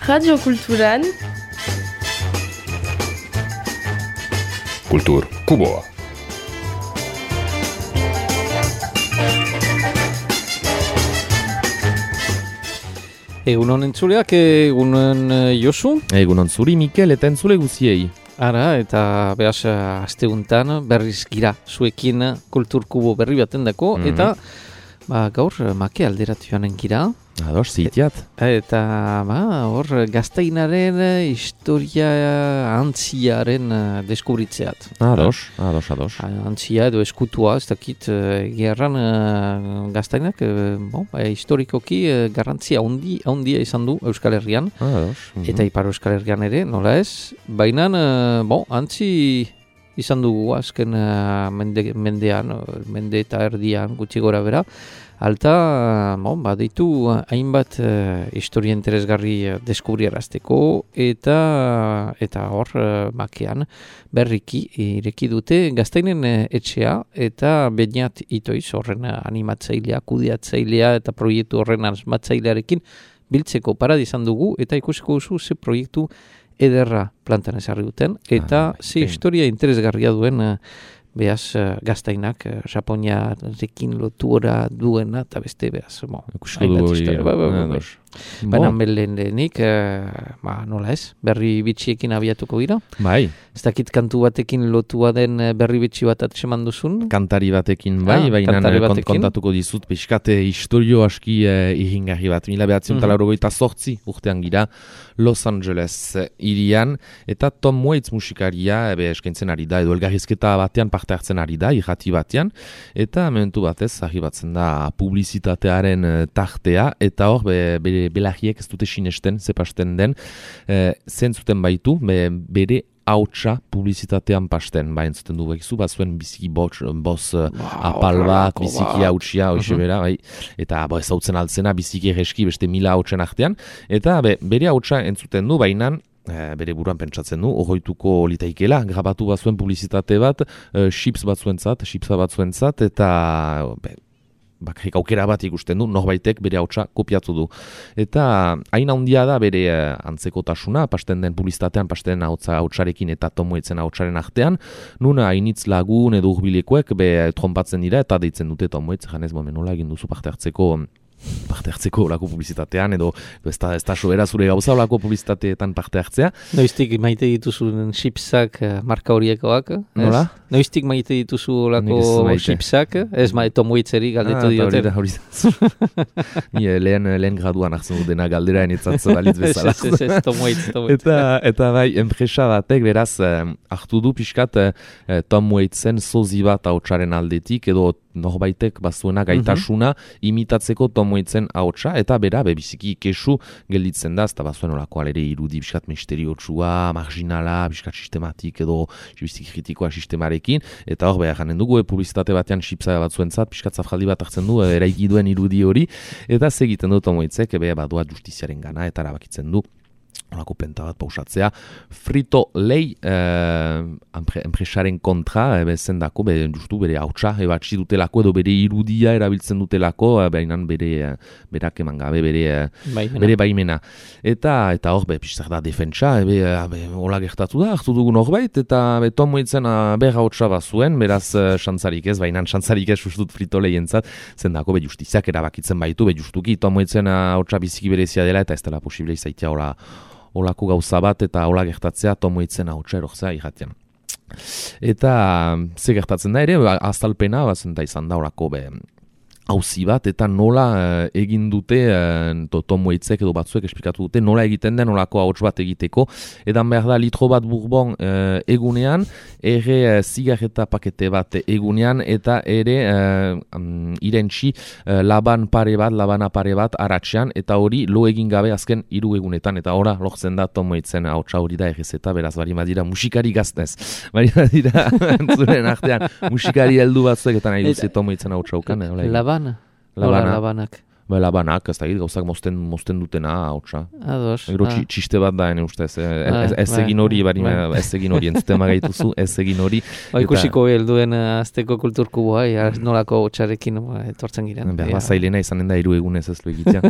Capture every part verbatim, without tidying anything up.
Radio Kulturan Kultur Kuboa. Egunon entzuleak, egunon Josu. Egunon zuri Mikel eta entzule guziei. Ara, eta behaz asteuntan berriz gira zuekin Kultur Kubo berri baten dako, mm-hmm. eta ba, gaur make alderatu joanen gira. Ados, zitiat. Eta ba, hor gaztainaren historia antziaren deskubritzeat. Ados, ados, ados. Antzia edo eskutua, ez dakit gerran gaztainak, bon, historikoki garrantzia handi, handia izan du Euskal Herrian. Ados. Mm-hmm. Eta Ipar Euskal Herrian ere, nola ez? Baina, bon, antzi izan dugu azken mende, mendean, mende eta erdian gutxi gora bera. Alta, bon, baditu hainbat uh, historia interesgarri deskubriarazteko eta eta hor uh, makean berriki ireki dute gaztainen uh, etxea eta Beñat Itoiz horren animatzailea, kudeatzailea eta proiektu horren asmatzailearekin biltzeko paradi izan dugu eta ikusiko duzu ze proiektu ederra plantan ezarri duten eta ah, ze historia interesgarria duen uh, Beaz, uh, gaztainak, uh, Japoniarekin lotura duena, eta beste, beaz, bo, hainbat historia. Ba, ba, ba, ba. Baina lehenik, uh, ba, nola ez, berri bitxiekin abiatuko gira. Bai. Ez dakit kantu batekin lotua den berri bitxi bat atseman duzun? Kantari batekin, bai, ah, baina kont, kontatuko dizut, pixkate historio aski uh, ihingarri bat. Mila behatzen mm-hmm. laurogeita sortzi urtean gira, Los Angeles irian, eta Tom Waits musikaria, ebe eskaintzen ari da, edo elgarrizketa batean parte hartzen ari da, irrati batean, eta momentu batez, argi batzen da publizitatearen tartea, eta hor, be, bere belagiek ez dute sinesten, zepasten den, e, zentzuten baitu, be, bere hautsa publizitatean pasten, ba, entzuten du bekizu, bat zuen biziki boz, boz wow, apal bat, biziki hautsia, hoxe uh-huh. bera, bai, eta bo, ez hautzen altzena, biziki egeski, beste mila hautsen artean, eta be, bere hautsa entzuten du, bainan, e, bere buruan pentsatzen du, ogoituko litaikela, grabatu bat zuen publizitate bat, e, chips bat zuentzat, chipsa bat zuentzat, eta be, bakarik aukera bat ikusten du, norbaitek bere hautsa kopiatu du. Eta hain handia da bere eh, antzekotasuna, pasten den publizitatean, pasten den hautsa hautsarekin eta Tom Waitsen hautsaren artean, nuna hainitz lagun edo urbilekoek be trompatzen dira eta deitzen dute Tom Waits, janez momen nola egin duzu parte hartzeko parte hartzeko olako publizitatean, edo ez da, ez da sobera zure gauza olako publizitateetan parte hartzea. Noiztik maite dituzun chipsak marka horiekoak? Nola? Noiztik maite dituzu olako chipsak? Ez ma Tom Waitzeri galdetu ah, diote. Ni lehen, lehen graduan hartzen dut dena galdera enitzatzo dalitz bezala. Ez, ez, ez, Tom Waits, Tom Waits. Eta, eta bai, enpresa batek beraz hartu du pixkat eh, Tom Waitsen sozi bat hautsaren aldetik, edo norbaitek bazuena gaitasuna mm-hmm. imitatzeko Tom Waitsen hautsa, eta bera, bebiziki kesu gelditzen da, eta bazuen olako alere irudi biskat misteriotsua, marginala, biskat sistematik edo biziki kritikoa sistemarekin, eta hor behar janen dugu, e, publizitate batean chipsa batzuentzat, biskat zafjaldi bat hartzen du, eraiki duen irudi hori, eta segiten du Tom Waitzek, ebe badua justiziaren gana, eta erabakitzen du. Olako penta bat pausatzea, Frito-Lay eh, enpresaren kontra, e, zendako, be, justu bere hautsa, ebatzi dutelako, edo bere irudia erabiltzen dutelako, e, behinan bere, berak eman gabe, bere baimena. Bere baimena. Eta, eta hor, be, piztak da defentsa, e, be, be, hola gertatu da, hartu dugun horbait, eta be, Tom Waitsen ber hautsa bat zuen, beraz, xantzarik ez, bainan xantzarik ez ustut Frito-Lay entzat, zendako, be, justiziak erabakitzen baitu, be, justuki, Tom Waitsen hautsa biziki berezia dela, eta ez dela posible izaitia hola, olako gauza bat eta hola gertatzea Tom Waitsen hautsa erortzea irratian. Eta ze gertatzen da ere, azalpena, bazen da izan da olako be auzi bat, eta nola eh, egin dute, eh, Tom Waitzek edo batzuek esplikatu dute, nola egiten den olako hauts bat egiteko, edan behar da litro bat bourbon eh, egunean, ere eh, zigarreta pakete bat egunean, eta ere eh, um, irentxi eh, laban pare bat, labana pare bat aratxean, eta hori lo egin gabe azken hiru egunetan, eta ora lortzen da Tom Waitzen hautsa hori da errezeta, beraz bari madira musikari gaztez, bari madira zuren artean musikari heldu batzuek, eta nahi duzi Tom Waitzen hautsa ukan, Labana. Labana. Labanak. Ba, labanak, ez da, gauzak mozten, mozten dutena, hautsa. Ados. Gero ah. txiste bat da, ene ustez. Ah, Ez, ez bai, egin hori, bari, bai. ez egin hori, entzuten magaituzu, ez egin hori. Ba, ikusiko helduen azteko kulturkuboa, ja, nolako hotxarekin etortzen giren. Behar zailena izanen da hiru egunez ez du egitea.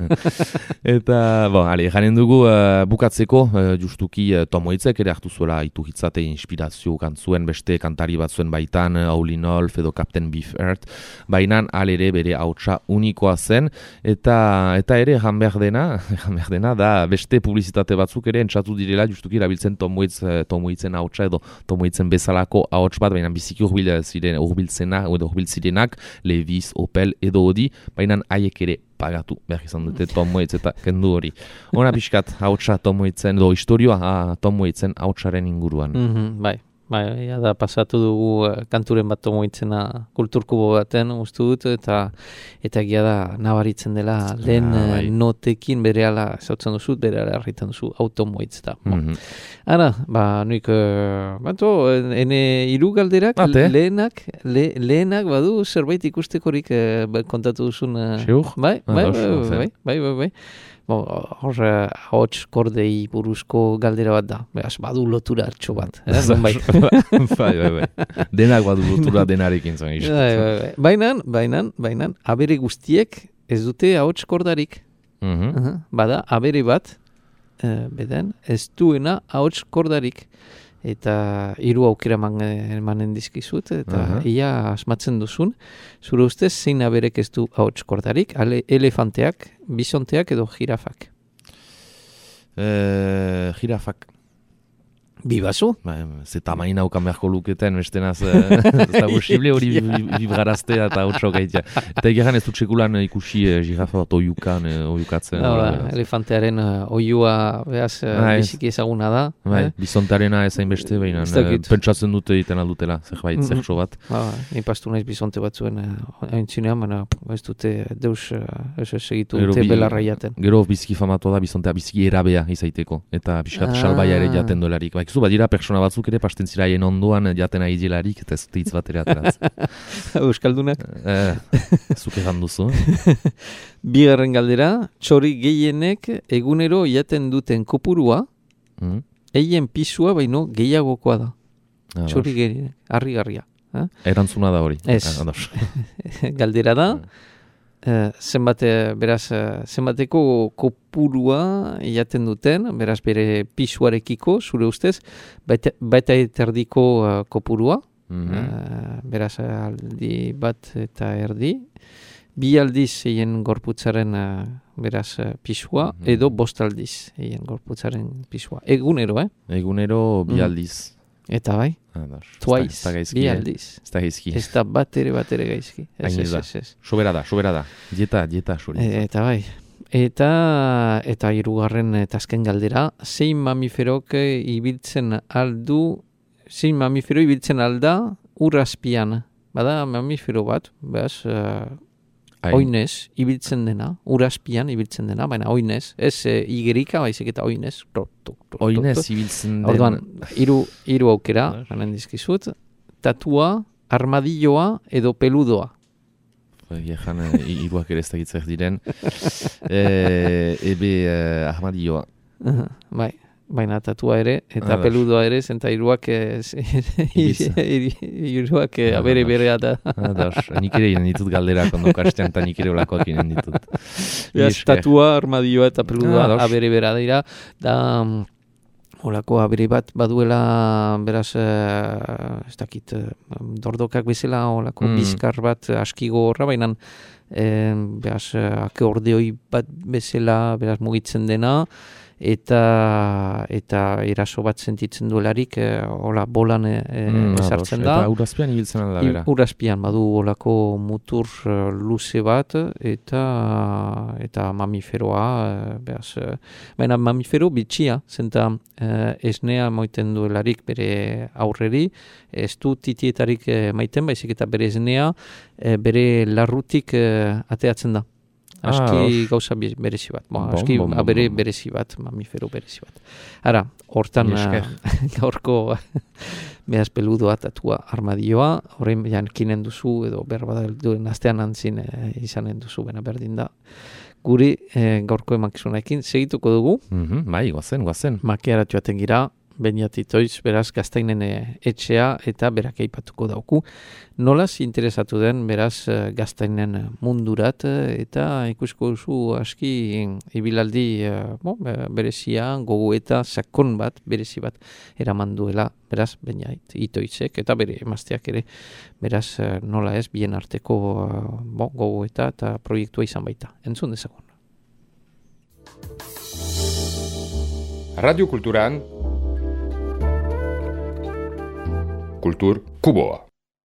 Eta, bon, ale, janen dugu uh, bukatzeko, uh, justuki uh, Tomoitzek ere hartu zuela itu hitzate inspirazio kantzuen beste kantari batzuen baitan, uh, Howlin' Wolf edo Captain Beefheart, bainan alere bere hautsa unikoa zen, eta eta ere jan behar dena, jan behar dena, da beste publizitate batzuk ere entzatu direla justuki erabiltzen Tomoitz, Tomoitzen hautsa edo Tomoitzen bezalako hauts bat, baina biziki urbil ziren, urbiltzena, edo urbiltzirenak, Levi's, Opel edo Odi, baina haiek ere pagatu behar izan dute Tomoitz eta kendu hori. Hona pixkat hautsa Tomoitzen, edo historioa Tomoitzen hautsaren inguruan. Mm-hmm, bai. Bai, ja da pasatu dugu uh, kanturen bat Tomoitzena kulturkubo baten uste dut, eta eta egia da nabaritzen dela lehen ah, bai. notekin berehala zautzen duzu, berehala erritan duzu Tomoitz da. Mm-hmm. Ara, ba, nuik, uh, bato, ene hiru galderak Ate. lehenak, le, lehenak badu zerbait ikustekorik uh, kontatu duzun. Uh, Seur? Bai, Ah, bai, dos, bai, dos, bai, bai, bai, bai. Bo, hor, ahots kordei buruzko galdera bat da. Beaz, badu lotura hartxo bat. Eh? bai. bai, bai, bai. Denak badu lotura denarekin zen. Bai, bai, bai. Bainan, bainan, bainan, abere guztiek ez dute ahots kordarik. Mm-hmm. Uh-huh. Bada, abere bat, uh, beden, ez duena ahots kordarik. Eta hiru aukera man, emanen dizkizut, eta uh-huh. ia asmatzen duzun, zure ustez zein aberek ez du ahots kordarik, ale, elefanteak, bisonteak edo jirafak. Eh, jirafak. Bibazu? Ba, ze tamaina haukan beharko luketen, bestenaz, ez da posible hori vibraztea eta hautso gaitea. Eta egeran ez dut sekulan ikusi eh, jirafa bat oiukan, eh, oiukatzen. No, ba, elefantearen uh, oiua behaz uh, biziki ezaguna da. Bai, eh? bizontearena ezain beste, baina eh, pentsatzen dute egiten aldutela, zerbait, mm-hmm. zertxo bat. Ba, ni pastu naiz bizonte batzuen uh, aintzinean, baina ez dute deus uh, ez segitu dute bi, belarra jaten. Gero biziki famatu da bizontea biziki erabea izaiteko, eta pixkat ah. salbaia ere jaten dolarik. Ba, zu, badira persona batzuk ere pasten ziraien ondoan jaten ari dielarik, eta ez dute hitz bat ere ateraz. Euskaldunak? Eh, zuk egan duzu. Bigarren galdera, txori gehienek egunero jaten duten kopurua, mm. eien pisua baino gehiagokoa da. Ah, txori gehienek, harri-garria. Eh? Erantzuna da hori. Ez. Galdera da, Uh, zenbat, beraz, uh, zenbateko kopurua jaten duten, beraz bere pisuarekiko, zure ustez, baita, baita eterdiko uh, kopurua, mm-hmm. uh, beraz aldi bat eta erdi, bi aldiz eien gorputzaren uh, beraz uh, pisua, mm-hmm. edo bost aldiz eien gorputzaren pisua. Egunero, eh? Egunero bi aldiz. Mm. Eta bai? Twice, bi aldiz. Ez da gaizki. Ez da bat ere bat ere gaizki. Ez, ez, ez, ez. Sobera da, sobera da. Dieta, dieta, suri. E, eta bai. Eta, eta hirugarren eta azken galdera, zein mamiferok ibiltzen aldu, zein mamifero ibiltzen alda urazpian. Bada mamifero bat, behaz, uh, oinez ibiltzen dena, urazpian ibiltzen dena, baina oinez, ez e, igerika, baizik eta oinez. Oinez ibiltzen dena. Orduan, hiru hiru aukera, banen dizkizut, tatua, armadilloa edo peludoa. Egan, hiruak ere ez da gitzak diren. e, ebe uh, armadilloa. Uh-huh, bai. Baina tatua ere, eta ah, peludoa ere, zenta iruak iruak abere berea da. Nik ere inen ditut galderak ondo kastean, eta nik ere olakoak inen ditut. Beraz, tatua, armadioa eta peludoa ah, abere bera dira. Da, olako abere bat baduela, beraz, ez dakit, dordokak bezala, olako mm. bizkar bat askigo horra, baina, eh, beraz, akeordeoi bat bezala, beraz, mugitzen dena, eta eta eraso bat sentitzen duelarik eh, hola bolan eh, mm, esartzen da. Eta urazpian ibiltzen da bera. Urazpian badu olako mutur uh, luze bat eta eta mamiferoa uh, behaz, uh, baina mamifero bitxia, zenta uh, esnea moiten duelarik bere aurreri, ez du titietarik uh, maiten, baizik eta bere esnea uh, bere larrutik uh, ateatzen da. Aski ah, gauza berezi bat. Bo, bon, aski bon, bon, abere bon. berezi bat, mamifero berezi bat. Ara, hortan gaurko behaz peludoa, tatua, armadioa, horrein jankinen duzu, edo berbada duen astean antzin e, izanen duzu, bena berdin da. gure e, gaurko emankizunekin segituko dugu. Mm-hmm, bai, guazen, guazen. Makiaratu aten gira, Beñatitoitz, beraz, Gaztainen etxea eta berak aipatuko dauku. Nolaz interesatu den, beraz, Gaztainen mundurat eta ikusko duzu aski ibilaldi bon, berezia, gogo eta sakon bat, berezi bat eraman duela, beraz, Beñatitoitzek eta bere emazteak ere, beraz, nola ez, bien arteko bon, gogo eta eta proiektua izan baita. Entzun dezagun. Radio Kulturan Kultur Kuboa.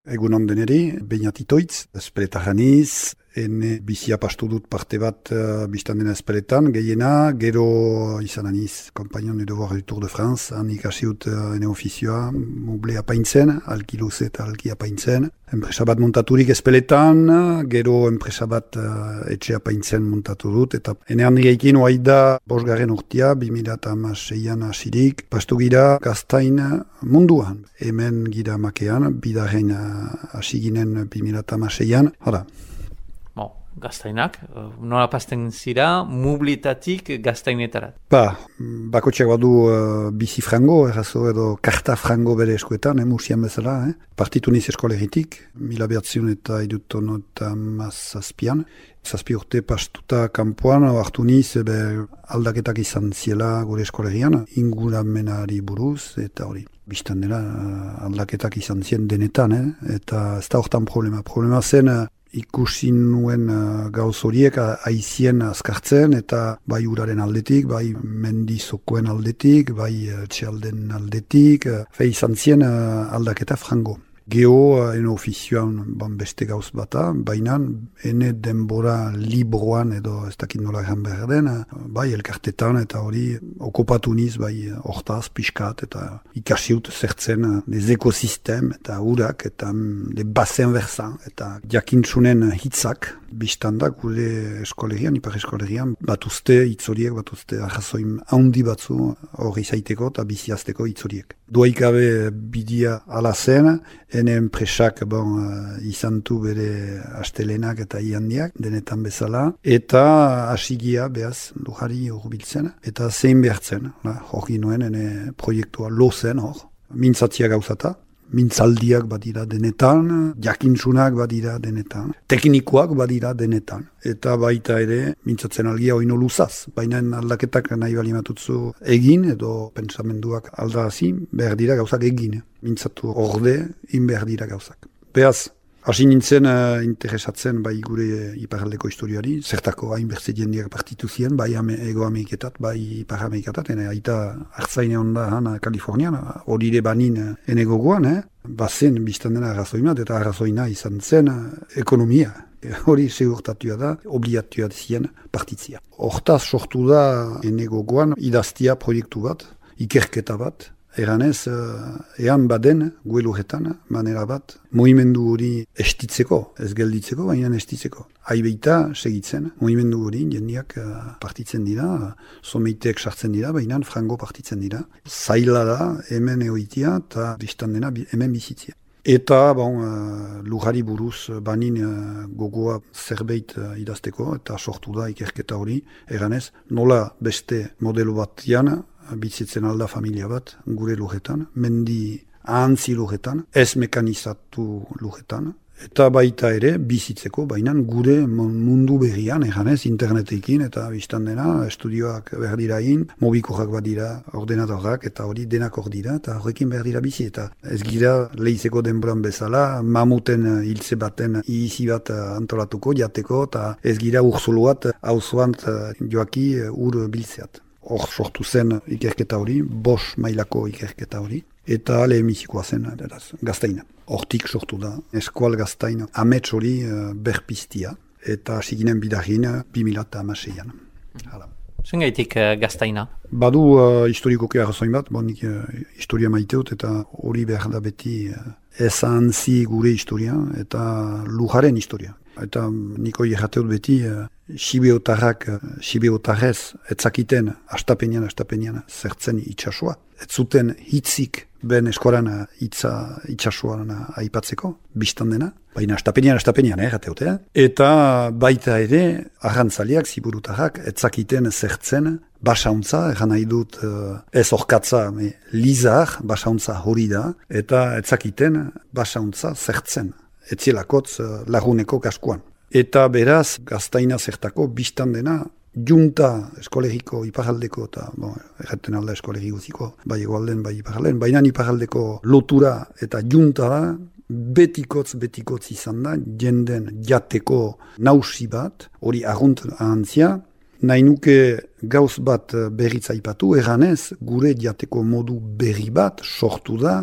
Egunon deneri, Beñatitoitz, espeletaraniz, ene bizia pastu dut parte bat uh, biztan dena espeletan, gehiena, gero izan aniz, kompainon du devoir du Tour de France, han ikasiut uh, ene ofizioa, muble apaintzen, alki luze eta alki apaintzen, enpresa bat montaturik espeletan, gero enpresa bat uh, etxe apaintzen montatu dut, eta ene handigeikin oaida bosgarren urtia, bi mila hamaseian asirik, pastu gira Gaztain munduan, hemen gira makean, bidarren hasi ginen bi mila hamaseian, hala. Bon, Gaztainak, nola pasten zira, mublitatik Gaztainetarat? Ba, bakotxak badu uh, bizi frango, errazo edo karta frango bere eskuetan, eh, musian bezala, eh? Partitu niz eskoleritik, mila behatziun eta iduton eta mazazpian. Zazpi urte pastuta kanpoan, hartu niz, ebe, aldaketak izan ziela gure eskolerian, inguramenari buruz, eta hori. Bistan dela, aldaketak izan zien denetan, eh? Eta ez da hortan problema. Problema zen, ikusi nuen uh, gauz horiek aizien azkartzen, eta bai uraren aldetik, bai mendizokoen aldetik, bai uh, txalden aldetik, uh, fe izan zien uh, aldaketa frango. Geo, uh, ene ofizioan ban beste gauz bata, baina ene denbora libroan edo ez dakit nola egan behar den, uh, bai elkartetan eta hori okupatu niz, bai hortaz, pixkat, eta ikasiut zertzen uh, des ekosistem eta urak, eta um, de basen verzan, eta jakintzunen hitzak, biztandak gure eskolerian, ipar eskolerian, batuzte hitzoriek, batuzte ahazoin handi batzu hori zaiteko eta biziazteko hitzoriek. Duaikabe bidia ala zen, ene enpresak bon, uh, izantu bere astelenak eta iandiak, denetan bezala, eta asigia behaz lujari urbiltzen, eta zein behartzen, hori nuen ene proiektua lozen hor, mintzatzia gauzata, mintzaldiak badira denetan, jakintzunak badira denetan, teknikoak badira denetan. Eta baita ere, mintzatzen algia oino luzaz. Baina aldaketak nahi balimatutzu egin, edo pensamenduak aldazi, behar dira gauzak egin. Mintzatu orde, in behar dira gauzak. Beaz, hasi nintzen uh, interesatzen bai gure iparaldeko historiari, zertako hainbertze jendeak partitu ziren, bai ame, ego Ameriketat, bai ipar Ameriketat, ene aita hartzaine onda hana Kalifornian, horire banin ene gogoan, eh? Bazen biztan dena arrazoimat, eta arrazoina izan zen uh, ekonomia. Hori segurtatua da, obligatua zien partitzia. Hortaz sortu da ene gogoan idaztia proiektu bat, ikerketa bat, eranez, ean baden, gueluretan, manera bat, mohimendu hori estitzeko, ez gelditzeko, baina estitzeko. Aibeita segitzen, mohimendu hori jendiak partitzen dira, someiteek sartzen dira, baina frango partitzen dira. Zaila da, hemen eoitia, eta biztan dena hemen bizitzia. Eta, bon, uh, lujari buruz banin uh, gogoa zerbait uh, idazteko, eta sortu da ikerketa hori, eranez, nola beste modelo batian, bizitzen alda familia bat, gure lujetan, mendi ahantzi lujetan, ez mekanizatu lujetan, eta baita ere bizitzeko, baina gure mundu berrian, eganez, internetekin, eta biztan dena, estudioak behar dira in, mobikoak bat dira, ordenadorrak, eta hori denak hor dira, eta horrekin behar dira bizi, eta ez gira lehizeko denboran bezala, mamuten hiltze baten izi bat antolatuko, jateko, eta ez gira urzuluat, hauzoan joaki ur biltzeat. Hor sortu zen ikerketa hori, bos mailako ikerketa hori, eta lehenbizikoa zen, eraz, Gaztaina. Hortik sortu da, eskual Gaztaina, amets hori uh, berpiztia, eta siginen bidarin bi mila hamaseian. Zen gaitik uh, Gaztaina? Badu uh, historikoki arrazoin bat, bon, nik uh, historia maiteot, eta hori behar da beti uh, ez ahantzi gure historia, eta lujaren historia. eta niko jateut beti, uh, Sibeotarrak, uh, Sibeotarrez, etzakiten, astapenian, astapenian, zertzen itxasua. Ez zuten hitzik ben eskoran itza, itxasuan aipatzeko, biztan dena. Baina astapenian, astapenian, eh, jateut, eh? Eta baita ere, arrantzaliak, ziburutarrak, etzakiten zertzen, basauntza, egan nahi dut uh, ez orkatza, me, lizar, basauntza hori da, eta etzakiten basauntza zertzen, etzielakotz uh, laguneko kaskuan. Eta beraz, gaztaina zertako biztan dena, junta eskolegiko iparaldeko, eta, bon, erraten alda eskolegi guziko, bai egoalden, bai iparalden, baina iparaldeko lotura eta junta da, betikotz, betikotz izan da, jenden jateko nausi bat, hori agunt ahantzia, nahi nuke gauz bat berriz aipatu, eganez, gure jateko modu berri bat sortu da,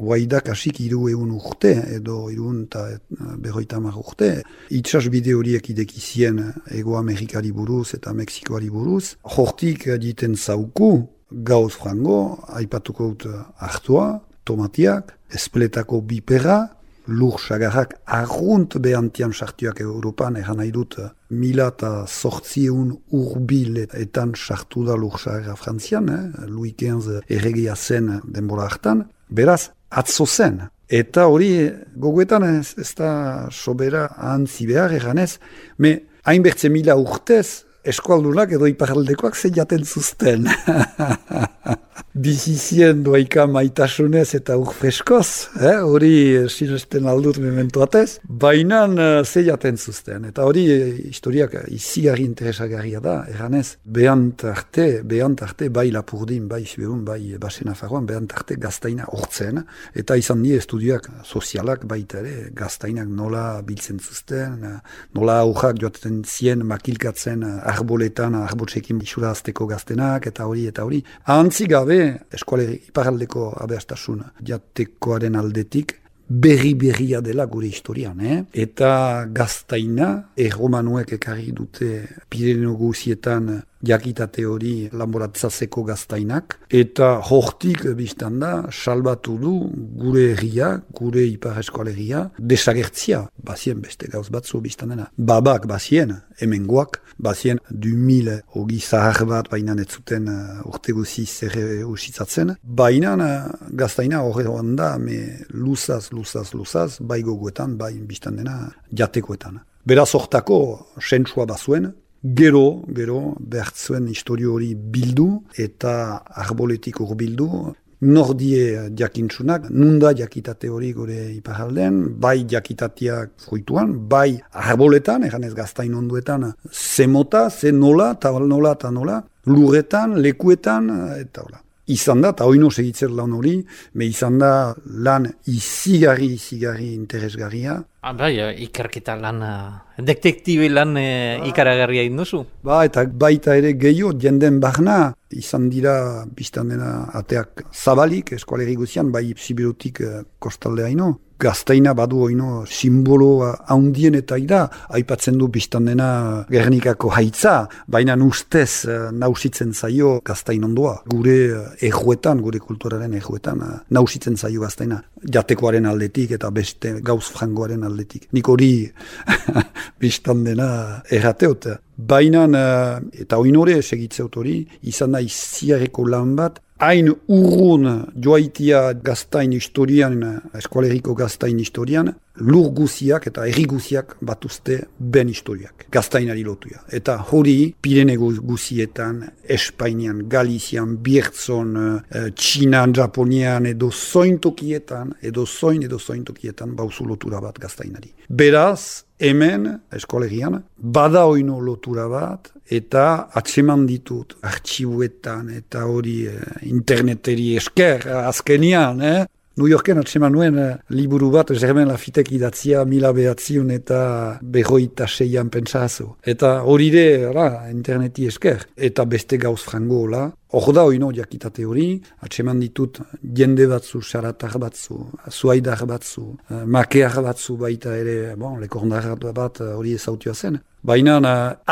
Waidak asik iru egun urte, edo irun eta berroita hamar urte. Itxas bide horiek idekizien Ego Amerikari buruz eta Mexikoari buruz. Hortik diten zauku, gauz frango, aipatuko dut hartua, tomatiak, espletako bipera, lur sagarrak argunt behantian sartuak Europan, eran nahi dut mila eta sortzieun urbil etan sartu da lur sagarra frantzian, eh? Louis quinze erregea zen denbora hartan. Beraz, atzo zen. Eta hori gogoetan ez, ez da sobera ahantzi behar eganez, me hainbertze mila urtez eskualdunak edo iparaldekoak ze jaten zuzten. Bizizien doaika maitasunez eta urfreskoz, eh? Hori sinesten aldut mementoatez, bainan ze jaten zuzten. Eta hori historiak izigarri interesagarria da, eganez, behant arte, behant arte, bai Lapurdin, bai Siberun, bai Basen-Nafarroan, behant arte gaztaina hortzen, eta izan die estudioak sozialak baita ere, gaztainak nola biltzen zuzten, nola aurrak joaten zien makilkatzen arboletan, arbotsekin isura azteko gaztenak, eta hori, eta hori. Ahantzi gabe, eskualeri iparaldeko abeastasun jatekoaren aldetik, berri-berria dela gure historian, eh? Eta gaztaina, erromanuek ekarri dute Pirineo guzietan jakitate hori lanboratzazeko gaztainak, eta hortik biztan da, salbatu du gure herria, gure ipar eskualeria, desagertzia, bazien beste gauz batzu biztan dena. Babak bazien, hemengoak, bazien du mil hogi zahar bat, baina ez zuten uh, urte guziz ere usitzatzen. Baina uh, gaztaina horre da, me luzaz, luzaz, luzaz, bai gogoetan, bai biztan dena jatekoetan. Beraz hortako sentsua bazuen, Gero, gero, behartzuen historio hori bildu eta arboletik hor bildu. Nordie jakintzunak, nunda jakitate hori gure iparalden, bai jakitateak fruituan, bai arboletan, eganez gaztain onduetan, ze mota, ze nola, eta nola, eta nola, lurretan, lekuetan, eta hola. Izan da, eta oino segitzer lan hori, me izan da lan izigarri, izigarri interesgarria. Ah, bai, ikerketa lan, detektibe lan e, ikaragarria induzu. Ba, eta baita ere gehiago, jenden barna, izan dira biztan dena ateak zabalik, eskualeri guzian, bai Sibirutik kostaldea ino. Gaztaina badu oino simbolo haundien eta ida, aipatzen du biztan dena Gernikako haitza, baina ustez nausitzen zaio gaztain ondoa. Gure ejuetan, gure kulturaren ejuetan, nausitzen zaio gaztaina. Jatekoaren aldetik eta beste gauz frangoaren aldetik. Nik hori biztan dena errateot. Baina, eta oinore segitzeut hori, izan da iziareko lan bat, hain urrun joaitia gaztain historian, eskualeriko gaztain historian, lur guziak eta erri guziak batuzte ben historiak, gaztainari lotuia. Eta hori, Pirene guzietan, Espainian, Galizian, Biertzon, Txinan, Japonian, edo zointokietan, edo zoin, edo zointokietan, bauzu lotura bat gaztainari. Beraz, hemen, eskolerian, bada oino lotura bat, eta atseman ditut artxibuetan, eta hori eh, interneteri esker, azkenian, eh? New Yorken atseman nuen eh, liburu bat, Germain Lafitek idatzia mila behatziun eta berroita seian pentsazu. Eta hori de, interneti esker. Eta beste gauz frango hola, hor da oino jakitate hori, atseman ditut jende batzu, saratar batzu, zuaidar batzu, makear batzu baita ere, bon, lekondar bat hori ezautua zen. Baina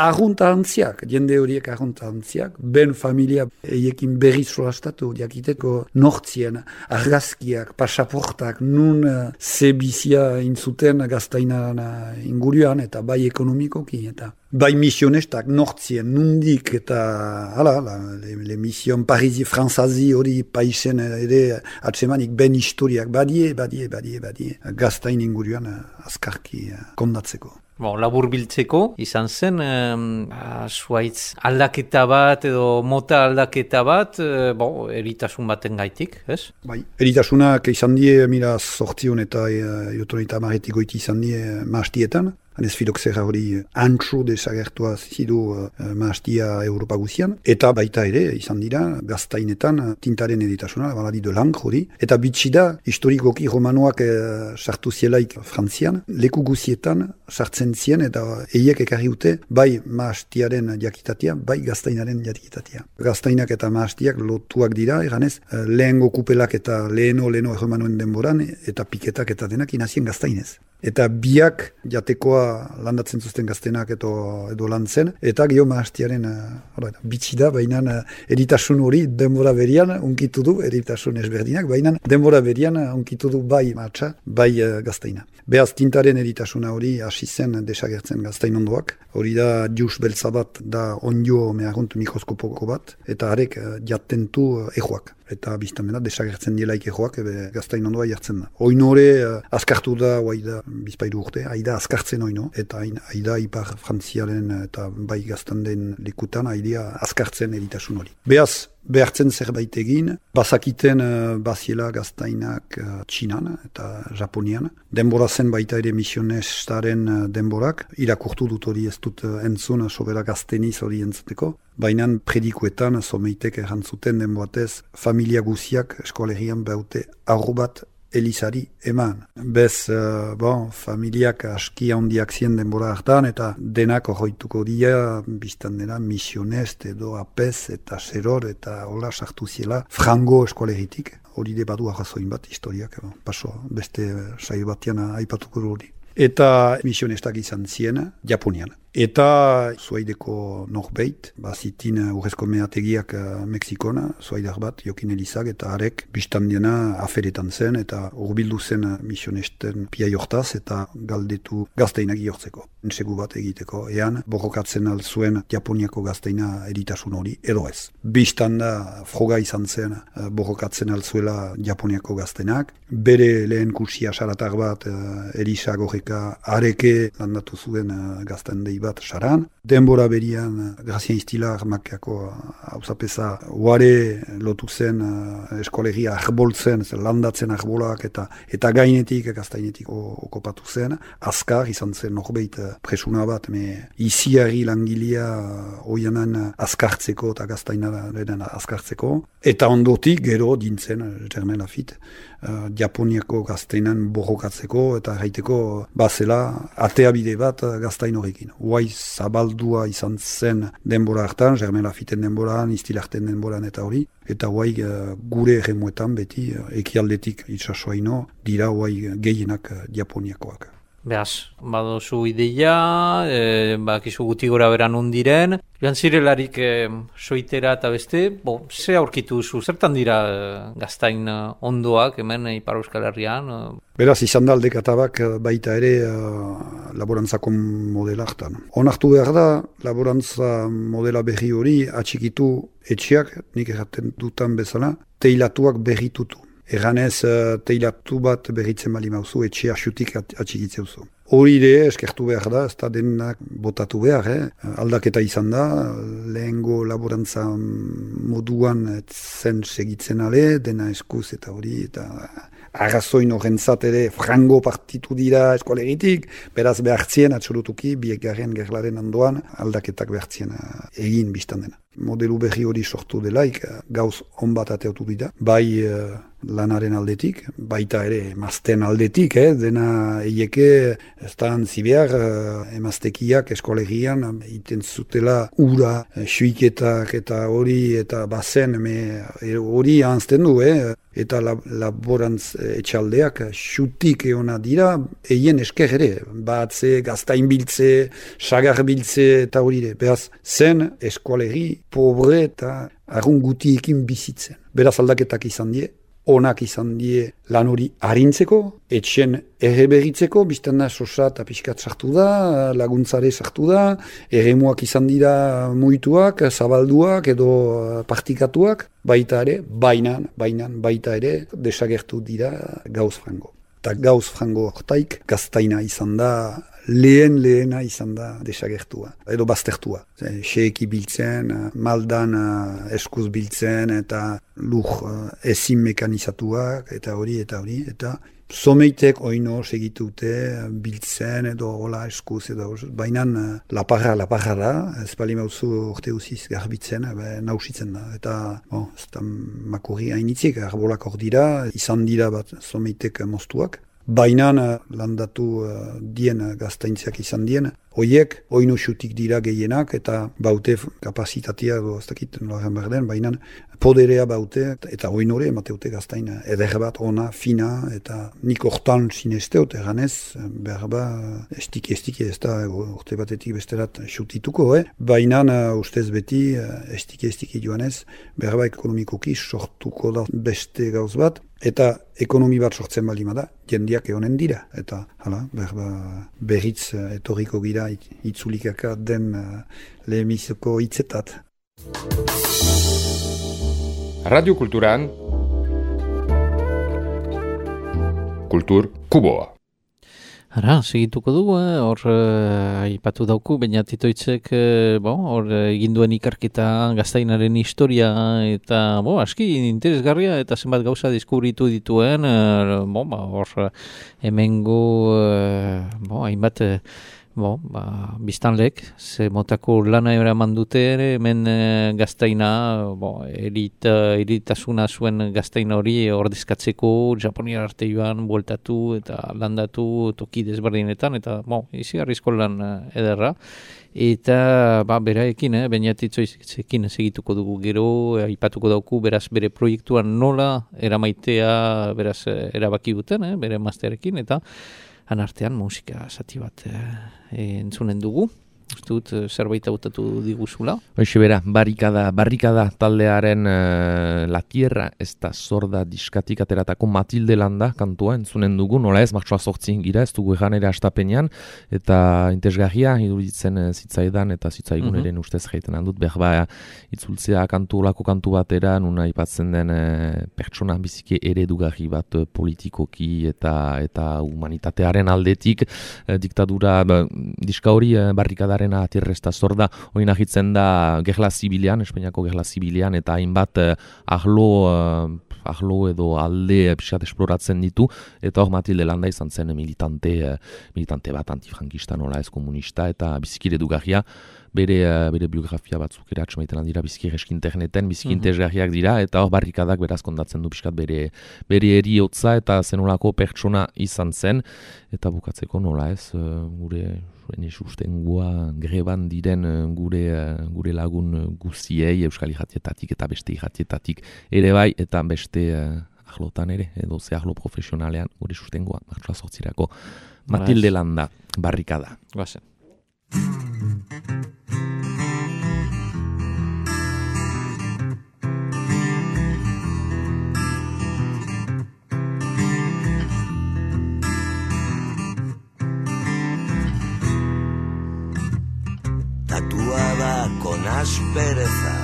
arrunta antziak, jende horiek arrunta antziak, ben familia eiekin berriz solastatu, jakiteko nortzien, argazkiak, pasaportak, nun zebizia intzuten gaztainan inguruan, eta bai ekonomikoki, eta bai misionestak nortzien, nundik, eta hala, la, le, le mission Parisi, Franzazi hori paisen ere atsemanik ben historiak, badie, badie, badie, badie, gaztain inguruan azkarki kondatzeko. Bon, labur biltzeko, izan zen, eh, zuaitz aldaketa bat edo mota aldaketa bat, eh, bon, eritasun baten gaitik, ez? Bai, eritasunak izan die, mira, sortzion eta jotonita e, marretik goiti izan die maastietan. Hanez filoxera hori antxo desagertua zidu uh, maastia Europa guzian. Eta baita ere, izan dira, gaztainetan tintaren editasuna, baladi de lang hori. Eta bitxida, historikoki romanoak uh, sartu zielaik Frantzian, leku guzietan sartzen zien eta eiek ekarri ute bai maastiaren jakitatea, bai gaztainaren jakitatea. Gaztainak eta maastiak lotuak dira, eganez, uh, lehengo kupelak eta leheno, leheno romanoen denboran, eta piketak eta denak inazien gaztainez. Eta biak jatekoa landatzen zuzten gaztenak edo, edo lan zen, eta geho maastiaren uh, bitxida, baina uh, eritasun hori denbora berian unkitu du, eritasun ezberdinak, baina denbora berian unkitu du bai maatsa, bai uh, gaztaina. Beaz tintaren eritasuna hori hasi zen desagertzen gaztain ondoak, hori da jus beltza bat da onjo mehagunt mikroskopoko bat, eta harek uh, jatentu uh, ejoak. Eta biztamena desagertzen dielaik ejoak ebe gaztain ondoa jartzen da. Oino hori uh, azkartu da, oai da bizpairu urte, aida azkartzen oino, eta aida ipar frantziaren eta bai gaztanden likutan aidea azkartzen eritasun hori. Beaz, behartzen zerbait egin, bazakiten uh, baziela gaztainak uh, Txinan eta Japonian. Denbora zen baita ere misionestaren uh, denborak, irakurtu dut hori ez dut uh, entzun, sobera gazteniz hori entzuteko. Baina predikuetan, someitek errantzuten denboatez, familia guziak eskolegian behaute aurru bat Elizari eman. Bez, uh, bon, familiak aski handiak zien denbora hartan, eta denak horreituko dira, biztan dena, misionest edo apez eta seror eta hola sartu ziela frango eskolegitik. Hori de badu arrazoin bat historiak, bon, paso beste saio batian aipatuko hori. Eta misionestak izan zien Japonian. Eta zuaideko norbeit, bazitin urrezko meategiak uh, Mexikona, zuaidar bat, Jokin Elizak, eta harek biztandiena aferetan zen, eta urbildu zen misionesten pia jortaz, eta galdetu gazteinak jortzeko. Ensegu bat egiteko, ean borrokatzen alzuen Japoniako gazteina eritasun hori, edo ez. Biztanda froga izan zen uh, borrokatzen alzuela Japoniako gaztenak, bere lehen kursia saratar bat uh, Elisa gorreka areke landatu zuen uh, gazten dei bat saran. Denbora berian Grazien Istilar makiako hauzapeza uare lotu zen uh, eskolegia arboltzen, landatzen arbolak eta eta gainetik, gaztainetik okopatu zen. Azkar izan zen norbeit presuna bat, me iziari langilea oianan azkartzeko eta gaztainaren azkartzeko. Eta ondotik gero dintzen, Germain Lafitte, uh, Japoniako gaztainan borrokatzeko eta gaiteko bazela ateabide bat gaztain horrekin. Uai zabaldua izan zen denbora hartan, Germain Laffitten denboran, Istilarten denboran eta hori. Eta uai uh, gure erremuetan beti uh, ekialdetik itsasoaino dira uai gehienak uh, Japoniakoak. Beaz, badozu ideia, e, bakizu guti gora beran undiren, joan zirelarik e, soitera eta beste, bo, ze aurkitu zu, zertan dira e, gaztain e, ondoak, hemen e, Ipar Euskal Herrian? E... Beraz, izan da aldekatabak baita ere uh, laborantzako modela hartan. Onartu behar da, laborantza modela berri hori atxikitu etxeak, nik erraten dutan bezala, teilatuak berritutu. Eganez, uh, teilatu bat berritzen bali mauzu, etxe asutik atxikitzeuzu. Hori ere, eskertu behar da, ez da denak botatu behar, eh? Aldaketa izan da, lehengo laborantza moduan zen segitzen ale, dena eskuz eta hori, eta arrazoin horrentzat ere frango partitu dira eskolegitik, beraz behartzien, atxolutuki, biekaren gerlaren ondoan, aldaketak behartzien egin biztan dena. Modelu berri hori sortu delaik, gauz on bat ateotu dira, bai uh, lanaren aldetik, baita ere emazten aldetik, eh? Dena eieke ez da antzibear eh, emaztekiak eskolegian iten zutela ura, eh, suiketak eta hori eta bazen me, hori anzten du, eh? Eta lab, laborantz etxaldeak xutik eona dira, eien esker ere, batze, gaztain biltze, sagar biltze eta hori ere. Beraz, zen eskolegi pobre eta arrungutiekin bizitzen. Beraz aldaketak izan die, onak izan die lan hori harintzeko, etxen erreberitzeko, bizten da sosa eta pixkat sartu da, laguntzare sartu da, eremuak izan dira muituak, zabalduak edo partikatuak, baita ere, bainan, bainan, baita ere, desagertu dira Gauz Frango. Eta Gauz Frango hortaik gaztaina izan da, lehen lehena izan da desagertua, edo baztertua. Xeeki biltzen, maldan eskuz biltzen, eta lur ezin mekanizatuak, eta hori, eta hori, eta someitek oino segitute biltzen, edo hola eskuz, edo bainan laparra, laparra da, ez bali mauzu urte uziz garbitzen, nausitzen da, eta bon, ez da makurri hainitzik, arbolak hor dira, izan dira bat someitek moztuak. Bainan landatu uh, dien gaztaintziak izan dien, hoiek oinu xutik dira gehienak eta baute kapasitatea, ez dakit noren berden, bainan poderea baute eta oinore emateute gaztain eder bat, ona, fina, eta nik hortan sinesteut eganez, berba estiki-estiki ez da urte batetik besterat xutituko, eh? Bainan uh, ustez beti estiki-estiki joanez, berba ekonomikoki sortuko da beste gauz bat, eta ekonomi bat sortzen balima da, jendiak egonen dira. Eta hala, berba, berriz etorriko gira itzulikaka den uh, lehemizoko hitzetat. Radio Kulturan Kultur Kuboa. Ara, segituko dugu, eh? hor eh, aipatu dauku, baina titoitzek eh, bon, hor eginduen ikarketa gaztainaren historia eta bo, aski interesgarria eta zenbat gauza deskubritu dituen, eh, bon, ba, hor hemengo eh, bon, hainbat eh, Bo, ba, biztanlek, ze motako lana eraman dute ere, hemen e, gaztaina, bo, erit, eritasuna zuen gaztaina hori ordezkatzeko, Japonia arte joan, bueltatu eta landatu toki desberdinetan, eta, bo, izi arrizko lan ederra. Eta, ba, beraekin, eh, bainatitzoizekin segituko dugu gero, aipatuko dauku, beraz, bere proiektuan nola eramaitea, beraz, erabaki duten, eh, bere masterekin, eta han artean musika zati bat eh, entzunen dugu. Uste dut zerbait hautatu diguzula. Hoxe bera, barrikada, barrikada taldearen uh, La Tierra ez da sorda diskatik ateratako Matilde Landa kantua entzunen dugu, nola ez, martxoa sortzin gira, ez dugu egan ere astapenean, eta intezgarria iduritzen uh, zitzaidan eta zitzaigun ere mm -hmm. ustez jaiten handut, behar ba, itzultzea kantu olako kantu batera, nuna ipatzen den uh, pertsona biziki eredugarri bat uh, politikoki eta eta humanitatearen aldetik, uh, diktadura, ba, diska hori uh, barrikada A Tierra ez da sorda, hori nahitzen da gerla zibilian, Espainiako gerla zibilian, eta hainbat eh, ahlo, eh, ahlo edo alde eh, pixat esploratzen ditu, eta hor Matilde Landa izan zen militante, eh, militante bat antifrankista, nola ez komunista, eta bizikire dugarria, bere, uh, bere biografia batzuk ere atxamaiten dira biziki eski interneten, biziki interesgarriak dira, eta hor barrikadak beraz kondatzen du pixkat bere, bere eriotza eta zenolako pertsona izan zen, eta bukatzeko nola ez, uh, gure sustengua greban diren gure, gure lagun guziei Euskal Irratietatik eta beste irratietatik ere bai, eta beste uh, ahlotan ere, edo ze ahlo profesionalean gure sustengua martxoa sortzirako. Matilde Landa, barrikada. Guazen. Tatuada con aspereza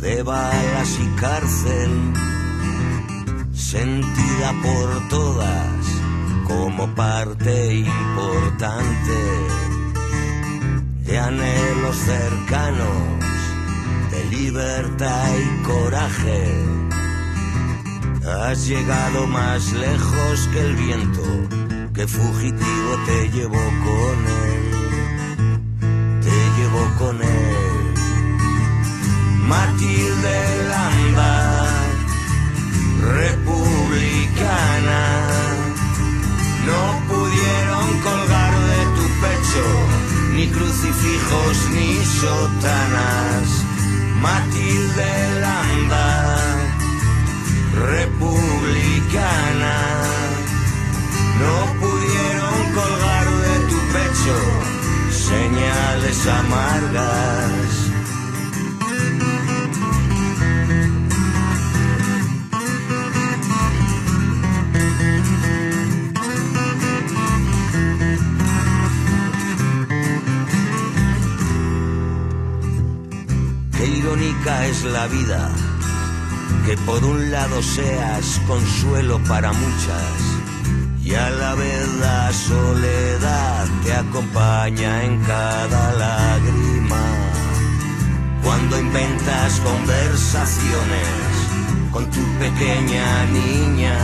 de balas y cárcel, sentida por todas como parte importante de anhelos cercanos, de libertad y coraje. Has llegado más lejos que el viento, que fugitivo te llevó con él, te llevó con él. Matilde Landa, sotanas, Matilde Landa, republicana, no pudieron colgar de tu pecho señales amargas. Qué irónica es la vida, que por un lado seas consuelo para muchas y a la vez la soledad te acompaña en cada lágrima. Cuando inventas conversaciones con tu pequeña niña,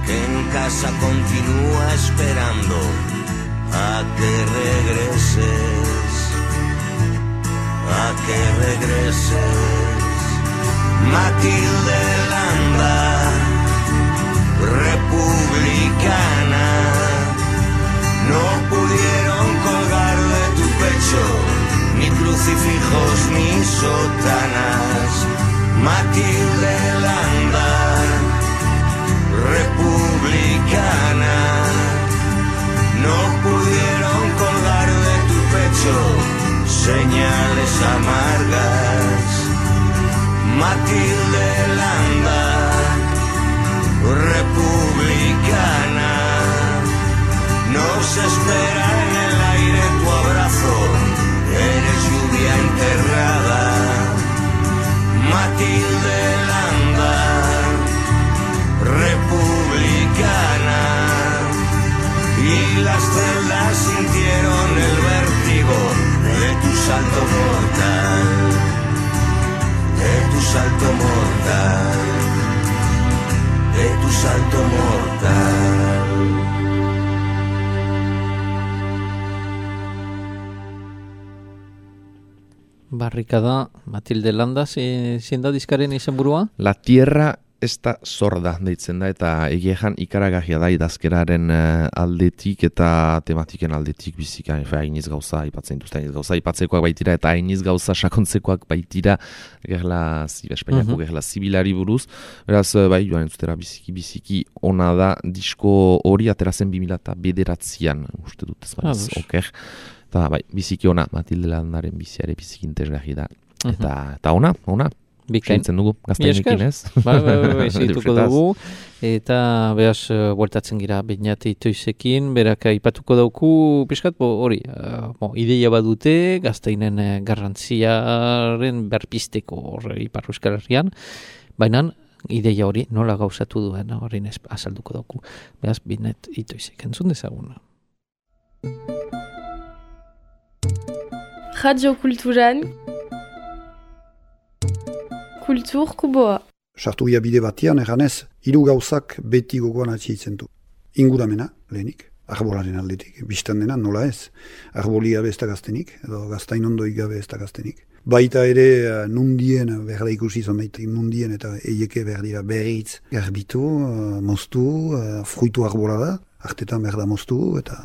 que en casa continúa esperando a que regreses, a que regreses. Matilde Landa, republicana, no pudieron colgar de tu pecho ni crucifijos ni sotanas. Matilde Landa, republicana, no pudieron colgar de tu pecho señales amargas. Matilde Landa, republicana, nos espera en el aire tu abrazo, eres lluvia enterrada. Matilde Landa, republicana, y las celdas sintieron el vértigo de tu salto mortal, de tu salto mortal, de tu salto mortal. Barrikada, Matilde Landa, zein da diskaren izenburua? La tierra esta sorda deitzen da, eta egiean ikaragarria da idazkeraren uh, aldetik eta tematiken aldetik bizika, hainiz gauza aipatzen duzta, hainiz gauza aipatzekoak baitira eta hainiz gauza sakontzekoak baitira gerla, Espainiako mm-hmm. gerla zibilari buruz. Beraz, bai, joan entzutera biziki-biziki ona da, disko hori aterazen bi mila bederatzian, uste dut ez baiz, ah, oker. Eta bai, biziki ona, Matilde Landaren biziare biziki interesgarri da. Eta, mm-hmm. eta ona, ona. Bikaintzen dugu, gaztainekin ez? Ba, ba, ba, ba, segituko dugu. Eta behaz, bueltatzen gira Beñat Itoizekin, berak aipatuko dauku, piskat, bo, hori, uh, bo, ideia badute, gaztainen uh, garrantziaren berpisteko hori Ipar Euskal Herrian, baina ideia hori nola gauzatu duen, hori azalduko dauku. Behaz, Beñat Itoizek, entzun dezaguna. Radio Kulturan Kultur Kuboa. Sartu ia bide batean, eganez, hiru gauzak beti gogoan atxitzen du. Inguramena, lehenik, arbolaren aldetik, biztan dena, nola ez. Arboli gabe ez da gaztenik, edo gaztain ondoi gabe ez da gaztenik. Baita ere, nundien, berda ikusi zomeitek, nundien eta eieke berdira berritz, garbitu, moztu, fruitu arbola da, artetan berda moztu, eta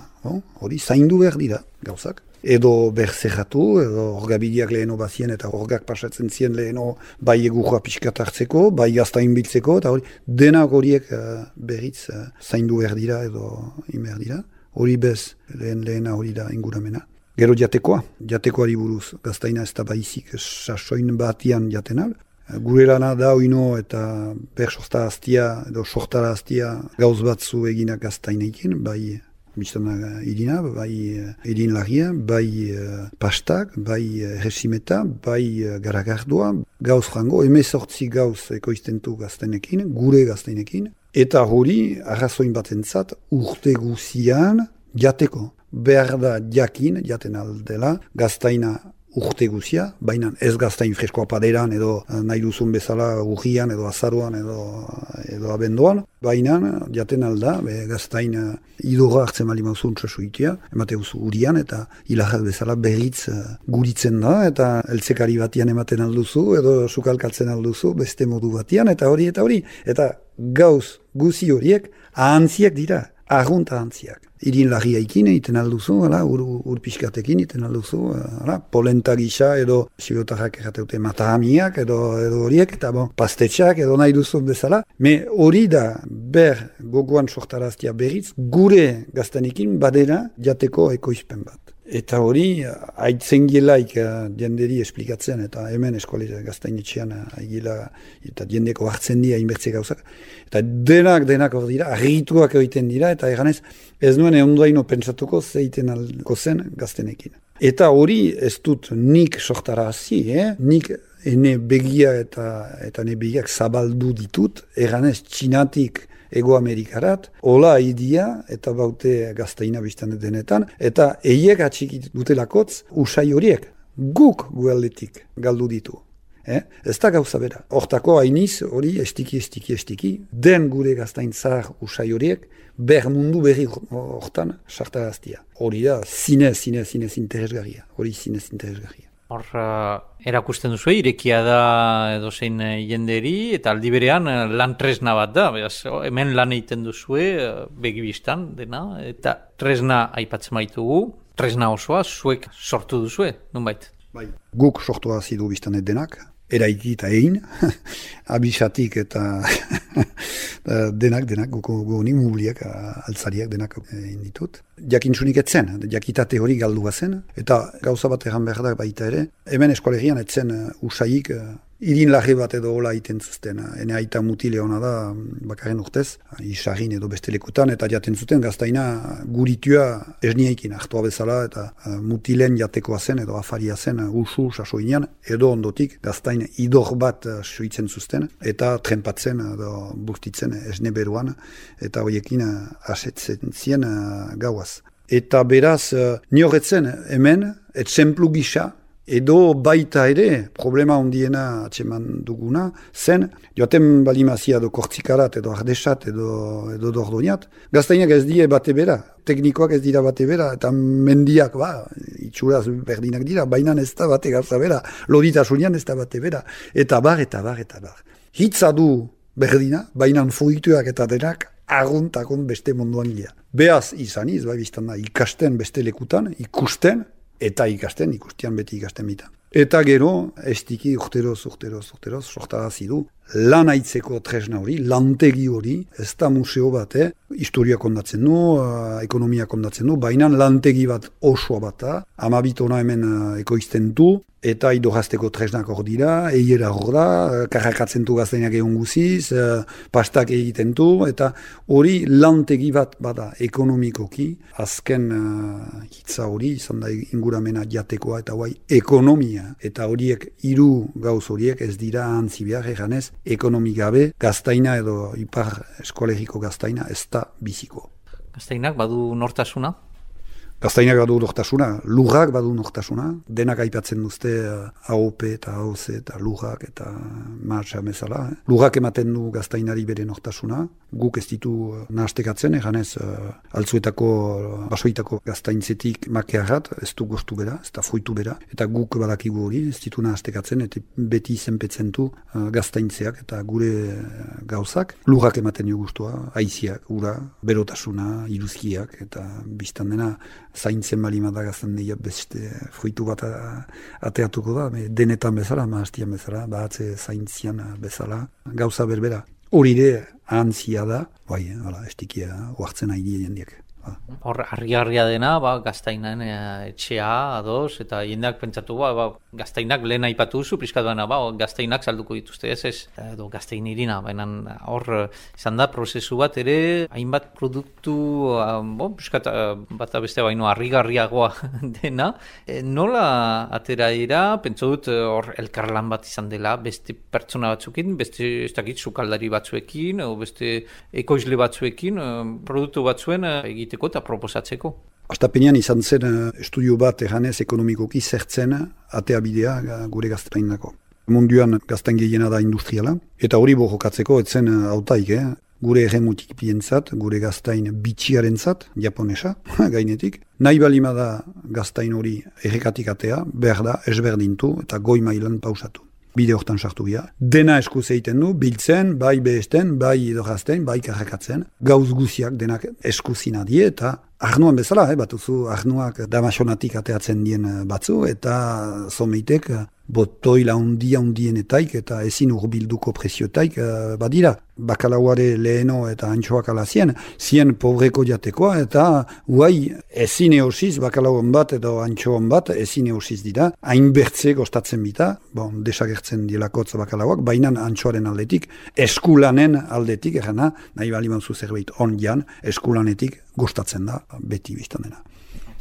hori, zaindu berdira gauzak. Edo berzerratu, edo orgabideak leheno bazien eta orgak pasatzen zien leheno bai egurra pixkat hartzeko, bai gaztain biltzeko, eta hori denak horiek uh, berriz uh, zaindu berdira edo inberdira. Hori bez, lehen lehena hori da inguramena. Gero jatekoa, jatekoari buruz, gaztaina ez da baizik sasoin batian jatenal. Gure lana da oino eta bersorta aztia edo sortara aztia gauz batzu eginak gaztainekin, bai biztana irina, bai irin lagia, bai uh, pastak, bai uh, resimeta, bai uh, garagardua, gauz jango, emezortzi gauz ekoiztentu gaztainekin, gure gaztainekin, eta hori, arrazoin batentzat, urte guzian jateko. Behar da jakin, jaten aldela, gaztaina urte guzia, baina ez gaztain freskoa paderan edo nahi duzun bezala urrian edo azaruan edo, edo abenduan, baina jaten alda, be, gaztain idorra hartzen mali mauzun txasuitia, emate guzu urian eta hilajak bezala berritz guritzen da, eta eltzekari batian ematen alduzu edo sukalkaltzen alduzu beste modu batian, eta hori eta hori, eta gauz guzi horiek ahantziak dira. argunta antziak. Irin larriaikin egiten alduzu, ala, ur, ur pixkatekin egiten alduzu, ala, polenta gisa edo sibotarrak errateute matahamiak edo, edo horiek, eta bon, pastetxak edo nahi duzu bezala. Me hori da ber gogoan sortaraztia berriz, gure gaztanekin badera jateko ekoizpen bat. Eta hori, haitzen gielaik dienderi esplikatzen, eta hemen eskolera gaztainetxean haigila, eta diendeko hartzen dira inbertze gauzak. Eta denak, denak hor dira, argituak egiten dira, eta eganez, ez nuen ondoaino pentsatuko zeiten alko zen gaztenekin. Eta hori ez dut nik sortara hazi, eh? Nik ene begia eta, eta ene begiak zabaldu ditut, eganez txinatik Ego Amerikarat, hola idia eta baute gaztaina biztan denetan, eta eiek atxik dutelakotz usai horiek, guk gualdetik galdu ditu. Eh? Ez da gauza bera. Hortako hainiz hori estiki, estiki, estiki, den gure gaztain zahar usai horiek, ber mundu berri hortan sartaraztia. Hori da, zinez, zinez, zinez interesgarria. Hori zinez interesgarria. Hor, uh, erakusten duzu, irekia da edozein uh, jenderi, eta aldi berean uh, lan tresna bat da. Beraz, oh, hemen lan egiten duzue, uh, begibistan dena, eta tresna aipatzen baitugu, tresna osoa zuek sortu duzue, nonbait? Bai. Guk sortu hazidu biztan denak, eraiki eta egin, abisatik eta denak, denak, guko goni, mubliak, altzariak denak egin ditut. Jakintzunik etzen, jakitate hori galdua zen, eta gauza bat egan behar da baita ere, hemen eskolegian etzen usaik, irin larri bat edo hola iten zuzten. Ene aita mutile hona da, bakarren urtez, isarrin edo beste lekutan, eta jaten zuten gaztaina guritua esniaikin hartua bezala, eta mutilen jatekoa zen edo afaria zen usu sasoinean, edo ondotik gaztain idor bat suitzen zuzten, eta trempatzen edo bustitzen esne beruan, eta horiekin asetzen zien gauaz. Eta beraz, nioretzen hemen, etxemplu gisa, edo baita ere, problema ondiena atseman duguna, zen, joaten balimazia edo kortzikarat, edo ardesat, edo, edo dordoniat, gaztainak ez die bate bera, teknikoak ez dira bate bera, eta mendiak, ba, itxuraz berdinak dira, baina ez da bate gauza bera, loditasunian ez da bate bera, eta bar, eta bar, eta bar. Hitza du berdina, baina fruituak eta denak, agunt-agunt beste munduan gira. Beaz izaniz, bai biztan da, ikasten beste lekutan, ikusten, eta ikasten, ikustian beti ikasten bitan. Eta gero, estiki urteroz, urteroz, urteroz, sortarazi du, lan aitzeko tresna hori, lantegi hori, ez da museo bat, eh? Historia kondatzen du, uh, ekonomia kondatzen du, baina lantegi bat osoa bat da, amabitona hemen uh, ekoizten du, eta idorazteko tresnak hor dira, eiera hor da, karrakatzen du gaztainak egon guziz, uh, pastak egiten du, eta hori lantegi bat bada ekonomikoki, azken uh, hitza hori, izan da inguramena jatekoa, eta guai ekonomia, eta horiek hiru gauz horiek ez dira antzi behar eganez, ekonomi gabe, gaztaina edo ipar eskolegiko gaztaina ez da biziko. Gaztainak badu nortasuna? Gaztainak badu nortasuna, lurrak badu nortasuna, denak aipatzen duzte A O P eta A O C eta lurrak eta martxa bezala. Eh? Lurrak ematen du gaztainari bere nortasuna, guk ez ditu nahastekatzen, eganez uh, altzuetako, basoitako gaztaintzetik makearrat, ez du gostu bera, ez da fruitu bera, eta guk badakigu hori, ez ditu nahastekatzen, eta beti izenpetzen du uh, gaztaintzeak eta gure gauzak. Lurrak ematen jo gustua, haiziak, ura, berotasuna, iruzkiak, eta biztan dena, zaintzen balima da gazten dira beste fruitu bat ateatuko da, denetan bezala, maastian bezala, bahatze zaintzian bezala, gauza berbera. Hori ere antzia da, bai, hala, estikia, oartzen nahi dira jendiak. Hor, argi-argia dena, ba, gaztainan e, etxea, ados, eta jendeak pentsatu, ba, ba, gaztainak lehen aipatu duzu, priskatuena, ba, gaztainak salduko dituzte, ez ez, edo gaztain irina, baina hor, izan da, prozesu bat ere, hainbat produktu, bo, priskat, bat beste baino, argi-argiagoa dena, e, nola atera dira, pentsu dut, hor, elkarlan bat izan dela, beste pertsona batzuekin, beste, ez dakit, sukaldari batzuekin, o beste ekoizle batzuekin, produktu batzuen egiteko eta proposatzeko. Astapenean izan zen estudio bat eganez ekonomikoki zertzen atea bidea gure gaztainako. Munduan gaztain gehiena da industriala, eta hori bojokatzeko etzen hautaik, eh? Gure erremutik pientzat, gure gaztain bitxiarentzat, japonesa, gainetik. Nahi balima da gaztain hori errekatik atea, behar da esberdintu eta goi mailan pausatu. bide hortan sartu gira. Dena eskuz egiten du, biltzen, bai behesten, bai idorrazten, bai karrakatzen. Gauz guziak denak eskuzina die eta arnuan bezala, eh, batuzu arnuak damasonatik ateatzen dien batzu eta zomeitek botoila undia undienetaik eta ezin urbilduko preziotaik uh, badira. Bakalauare leheno eta antxoak ala zien, zien pobreko jatekoa eta guai ezin eosiz, bakalauan bat edo antxoan bat ezin eosiz dira, hainbertze gostatzen bita, bon, desagertzen dielakotz bakalauak, baina antxoaren aldetik, eskulanen aldetik, erana, nahi bali mauzu zerbait on jan, eskulanetik gustatzen da, beti biztan dena.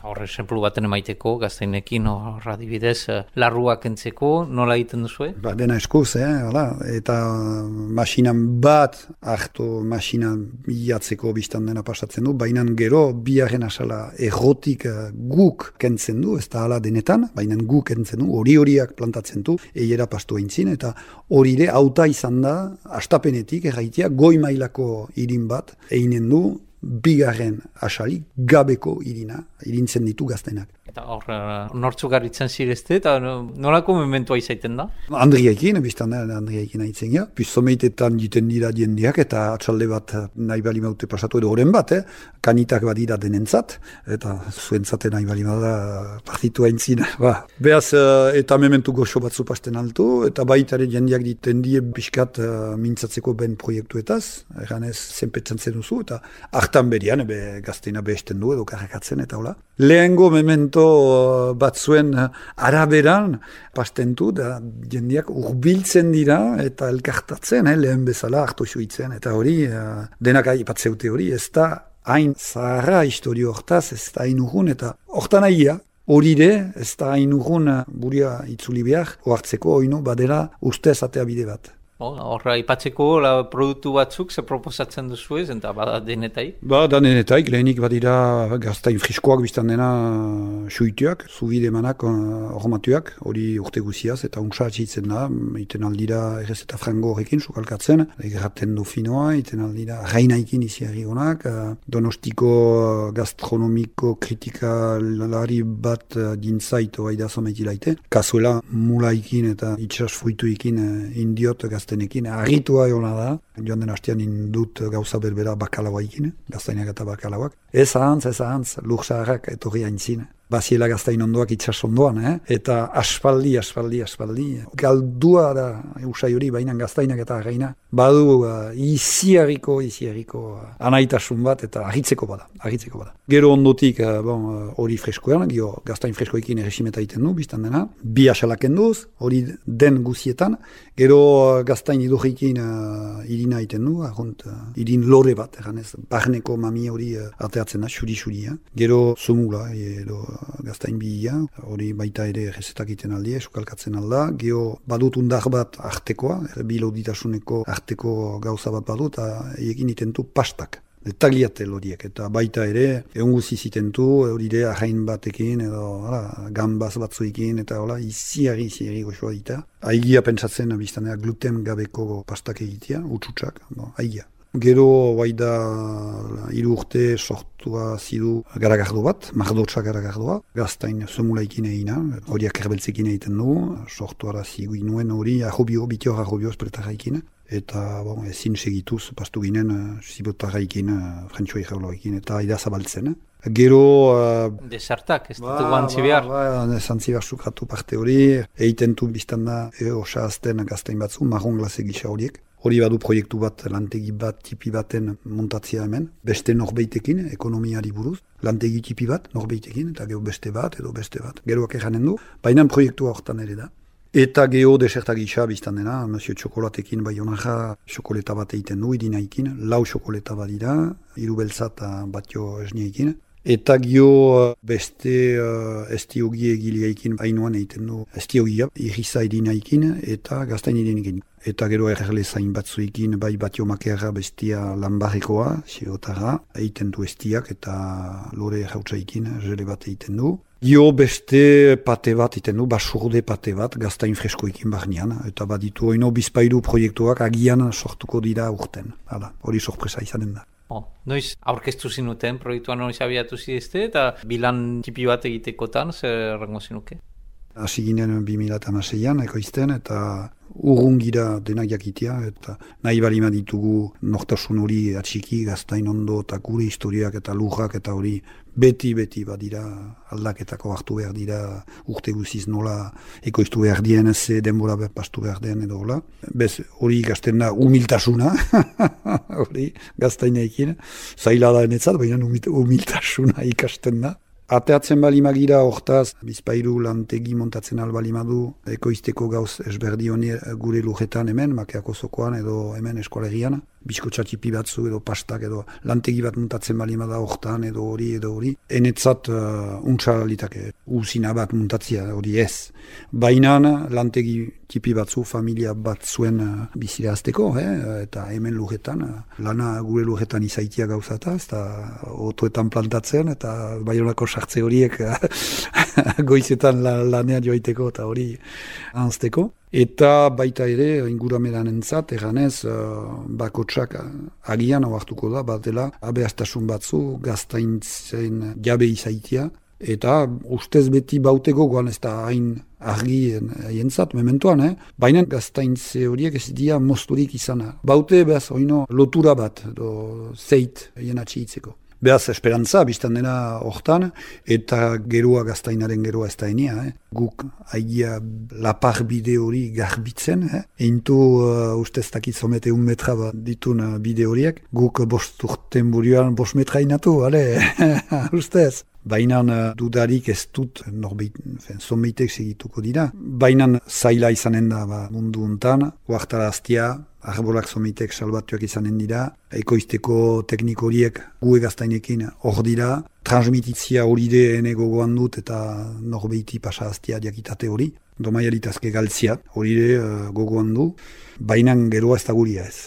Horre, esemplu baten emaiteko, gaztainekin, horra dibidez, larruak entzeko, nola egiten duzue? Ba, dena eskuz, eh, hala, eta masinan bat, hartu masinan bilatzeko biztan dena pasatzen du, baina gero, biaren asala errotik guk kentzen du, ez da hala denetan, baina guk kentzen du, hori horiak plantatzen du, eiera pastu eintzin, eta hori ere, auta izan da, astapenetik, erraitea, goi mailako irin bat, einen du, bigarren asali gabeko irina, irintzen ditu gaztenak. Eta hor, nortzuk garritzen zirezte, eta nolako mementua izaiten da? Andriaikin, biztan da, Andriaikin haitzen ja. Pizomeitetan jiten dira diendiak, eta atxalde bat nahi bali maute pasatu edo horren bat, eh? Kanitak badira denentzat, eta zuentzate nahi bali da partitu haintzin. Ba. Beaz, eta mementu goxo batzu pasten altu, eta baitare jendiak diten die pixkat uh, mintzatzeko ben proiektuetaz, eganez zenpetzen zen duzu, eta hartan berian, ebe gazteina behesten du edo karrakatzen, eta hola. Lehengo memento batzuen araberan pastentu, da jendiak urbiltzen dira eta elkartatzen, eh, lehen bezala hartu suitzen, eta hori, uh, denak aipatzeute hori, ez da hain zaharra historio hortaz, ez da hain urgun, eta hortan aia, hori de, ez da hain urgun buria itzuli behar, oartzeko oino badela ustez atea bide bat. Horra, ipatzeko la produktu batzuk ze proposatzen duzu ez, eta bada denetaik? Ba, da denetaik, lehenik badira gaztain friskoak biztan dena suituak, zubide manak hormatuak, hori urte guziaz, eta untsa atxitzen da, iten aldira errez eta frango horrekin, sukalkatzen, egraten dofinoa, iten aldira rainaikin iziarri honak, donostiko gastronomiko kritikalari bat dintzait oaida zomaitilaite, kasuela mulaikin eta itxas fruituikin indiot gaztain tenekin, arritua eona da, joan den hastean indut gauza berbera bakalauaikin, gaztainak eta bakalauak. Ez ahantz, ez ahantz, lursaharrak etorri haintzin. Baziela gaztain ondoak itxas ondoan, eh? Eta aspaldi, aspaldi, aspaldi. Galdua da eusai hori, baina gaztainak eta arraina. Badu uh, iziarriko, iziarriko uh, anaitasun bat, eta ahitzeko bada, ahitzeko bada. Gero ondotik hori uh, freskoan, gio gaztain freskoekin erresimeta egiten du, biztan dena. Bi asalaken duz, hori den guzietan. Gero uh, gaztain idurrikin uh, irina egiten du, ahont, uh, irin lore bat, eganez, barneko mami hori uh, ateatzen da, xuri-xuri. Eh? Gero zumula, edo gaztain bihia, hori baita ere rezetak iten aldia, esukalkatzen alda, geho badut undar bat artekoa, biloditasuneko arteko gauza bat badut, eta egin itentu pastak, tagliatel horiek, eta baita ere, egun guziz itentu, hori ere ahain batekin, edo hala, gambaz batzuekin, eta hola, iziari, iziari goxoa dita. Aigia pentsatzen, biztanea, gluten gabeko pastak egitea, utxutsak, no, aigia. Gero, bai da, hiru urte sortua zidu garagardo bat, mardotsa garagardua, gaztain zumulaikin egina, horiak erbeltzekin egiten du, sortuara zigu inuen hori ahobio, bitior ahobio espretarraikin, eta bon, ezin segituz pastu ginen zibotarraikin, frantxoi jaulaikin, eta aida zabaltzen. Gero... Uh, Desartak, ez dut guantzi behar? Ba, ba, ba, zantzi behar sukratu parte hori, eiten du biztan da, e, osazten gaztain batzu, marron glase gisa horiek. Hori badu proiektu bat, lantegi bat, tipi baten montatzea hemen, beste norbeitekin, ekonomiari buruz, lantegi tipi bat, norbeitekin, eta gero beste bat, edo beste bat. Geroak eranen du, baina proiektua hortan ere da. Eta geho desertak gisa biztan dena, Monsieur Txokolatekin bai honaja, xokoleta bat egiten du, idinaikin, lau xokoleta bat dira, hiru beltza eta batio esniekin. Eta gio beste uh, estiogi egileaikin hainuan egiten du estiogia, irriza edinaikin eta gaztain edinikin. Eta gero errele zain batzuekin, bai batio makerra bestia lanbarrekoa, xerotarra, egiten du estiak eta lore jautsaikin jele bat egiten du. Gio beste pate bat egiten du, basurde pate bat, gaztain freskoekin barnean, eta baditu oino bizpailu proiektuak agian sortuko dira urten. Hala, hori sorpresa izanen da. Oh, noiz aurkeztu zinuten, proiektuan noiz abiatu zidezte, eta bilan tipi bat egitekotan, zer errango zinuke? Hasi ginen bi mila hamaseian ekoizten, eta urrungira denak jakitea, eta nahi balima ditugu nortasun hori atxiki, gaztain ondo, eta gure historiak eta lujak eta hori beti-beti badira aldaketako hartu behar dira urte guziz nola ekoiztu behar dien, ez denbora pastu behar den edo hola. Bez hori ikasten da humiltasuna, hori gaztaineekin, zaila da enetzat, baina humiltasuna ikasten da. Ateatzen balimagira hortaz, bizpairu lantegi montatzen albalimadu, ekoizteko gauz esberdi honi gure lujetan hemen, makeako zokoan edo hemen eskolegian, biskotxatipi batzu edo pastak edo lantegi bat montatzen balimada hortan edo hori edo hori. Enetzat uh, untsa litake, uzina bat montatzia hori ez. Baina lantegi tipi batzu, familia bat zuen uh, bizira azteko, eh? Eta hemen lujetan, uh, lana gure lujetan izaitia gauzata, ez da otoetan plantatzen, eta Baionako sartze horiek goizetan la, lanean joaiteko eta hori anzteko. Eta baita ere, ingurameran entzat, eganez, uh, bakotsak agian hau hartuko da, bat dela, abeaztasun batzu, gaztaintzen jabe izaitia, eta ustez beti bauteko goan ez da hain argi jentzat, mementoan, eh? Baina gaztaintze horiek ez dira mozturik izana. Baute behaz oino lotura bat, do zeit jenatxe hitzeko. Beaz, esperantza, biztan dena hortan, eta geroa gaztainaren geroa ez da enia. Eh? Guk haigia lapar bide hori garbitzen, eh? Eintu uh, ustez dakit zomete un metra bat ditun uh, bide horiek. Guk bost urten burioan bost metra inatu, ale, ustez. Baina uh, dudarik ez dut, norbeit, zomeitek segituko dira. Baina zaila izanen da ba, mundu untan, huartaraztia, arbolak zomeitek salbatuak izanen dira, ekoizteko tekniko horiek gue gaztainekin hor dira, transmititzia hori de ene gogoan dut eta norbeiti pasaztia diakitate hori, domaialitazke galtzia hori de uh, gogoan du, baina geroa ez da guria ez.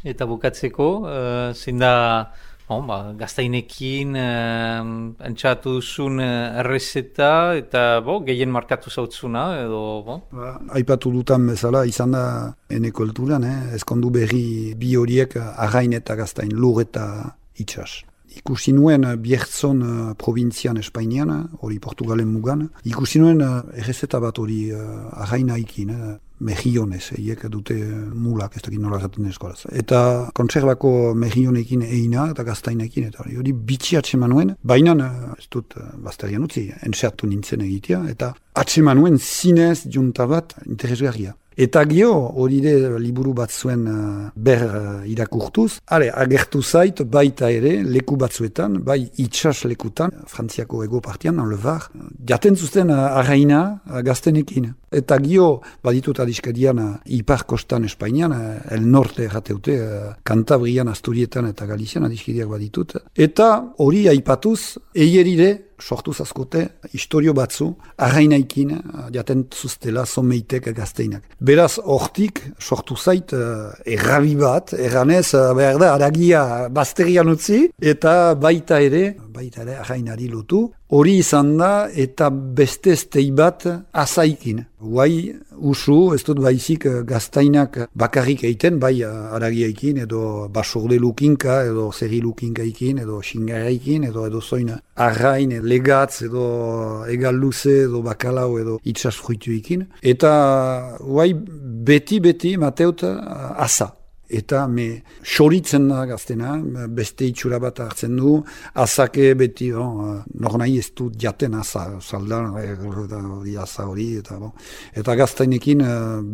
Eta bukatzeko, uh, zein da bon, ba, gaztainekin uh, entzatu duzun uh, errezeta eta bo, gehien markatu zautzuna edo... Bo. Ba, aipatu dutan bezala izan da ene kulturan, eh? Ezkondu berri bi horiek arrain eta gaztain, lur eta itxas. Ikusi nuen Biertzon uh, provintzian Espainian, hori Portugalen mugan, ikusi nuen uh, errezeta bat hori uh, arraina ikin, eh? Mejionez, eiek dute mulak, ez dakit nola zaten eskolaz. Eta kontserbako mejionekin eina eta gaztainekin, eta hori bitxi atsemanuen, baina ez dut bazterian utzi, entxertu nintzen egitea, eta atsemanuen zinez junta bat interesgarria. Eta gio, hori de liburu bat zuen uh, ber uh, irakurtuz, ale, agertu zait baita ere, leku batzuetan, bai itxas lekutan, Frantziako ego partian, Le Var, jaten zuzten uh, arraina uh, gaztenekin. Eta gio, baditut adiskadian uh, ipar kostan Espainian, uh, el norte errateute, uh, Kantabrian, Asturietan eta Galizian adiskadiak baditut. Eta hori aipatuz, eierire, sortu zazkote, historio batzu, arrainaikin, jaten zuztela, zomeitek gazteinak. Beraz, hortik, sortu zait, uh, errabi bat, erranez, uh, behar da, aragia bazterian utzi, eta baita ere, baita ere, arrainari lotu, hori izan da, eta beste estei bat azaikin. Guai, usu, ez dut baizik gaztainak bakarrik eiten, bai aragiaikin, edo basurde lukinka, edo zerri lukinkaikin, edo xingaraikin, edo edo zoin arrain, legatz, edo egal luze, edo bakalau, edo itxas fruituikin. Eta guai, beti-beti mateut asa. Eta me xoritzen da gaztena, beste itxura bat hartzen du, azake beti, bon, nor nahi ez du jaten aza, saldan, hori aza hori, eta, bon. Eta gaztainekin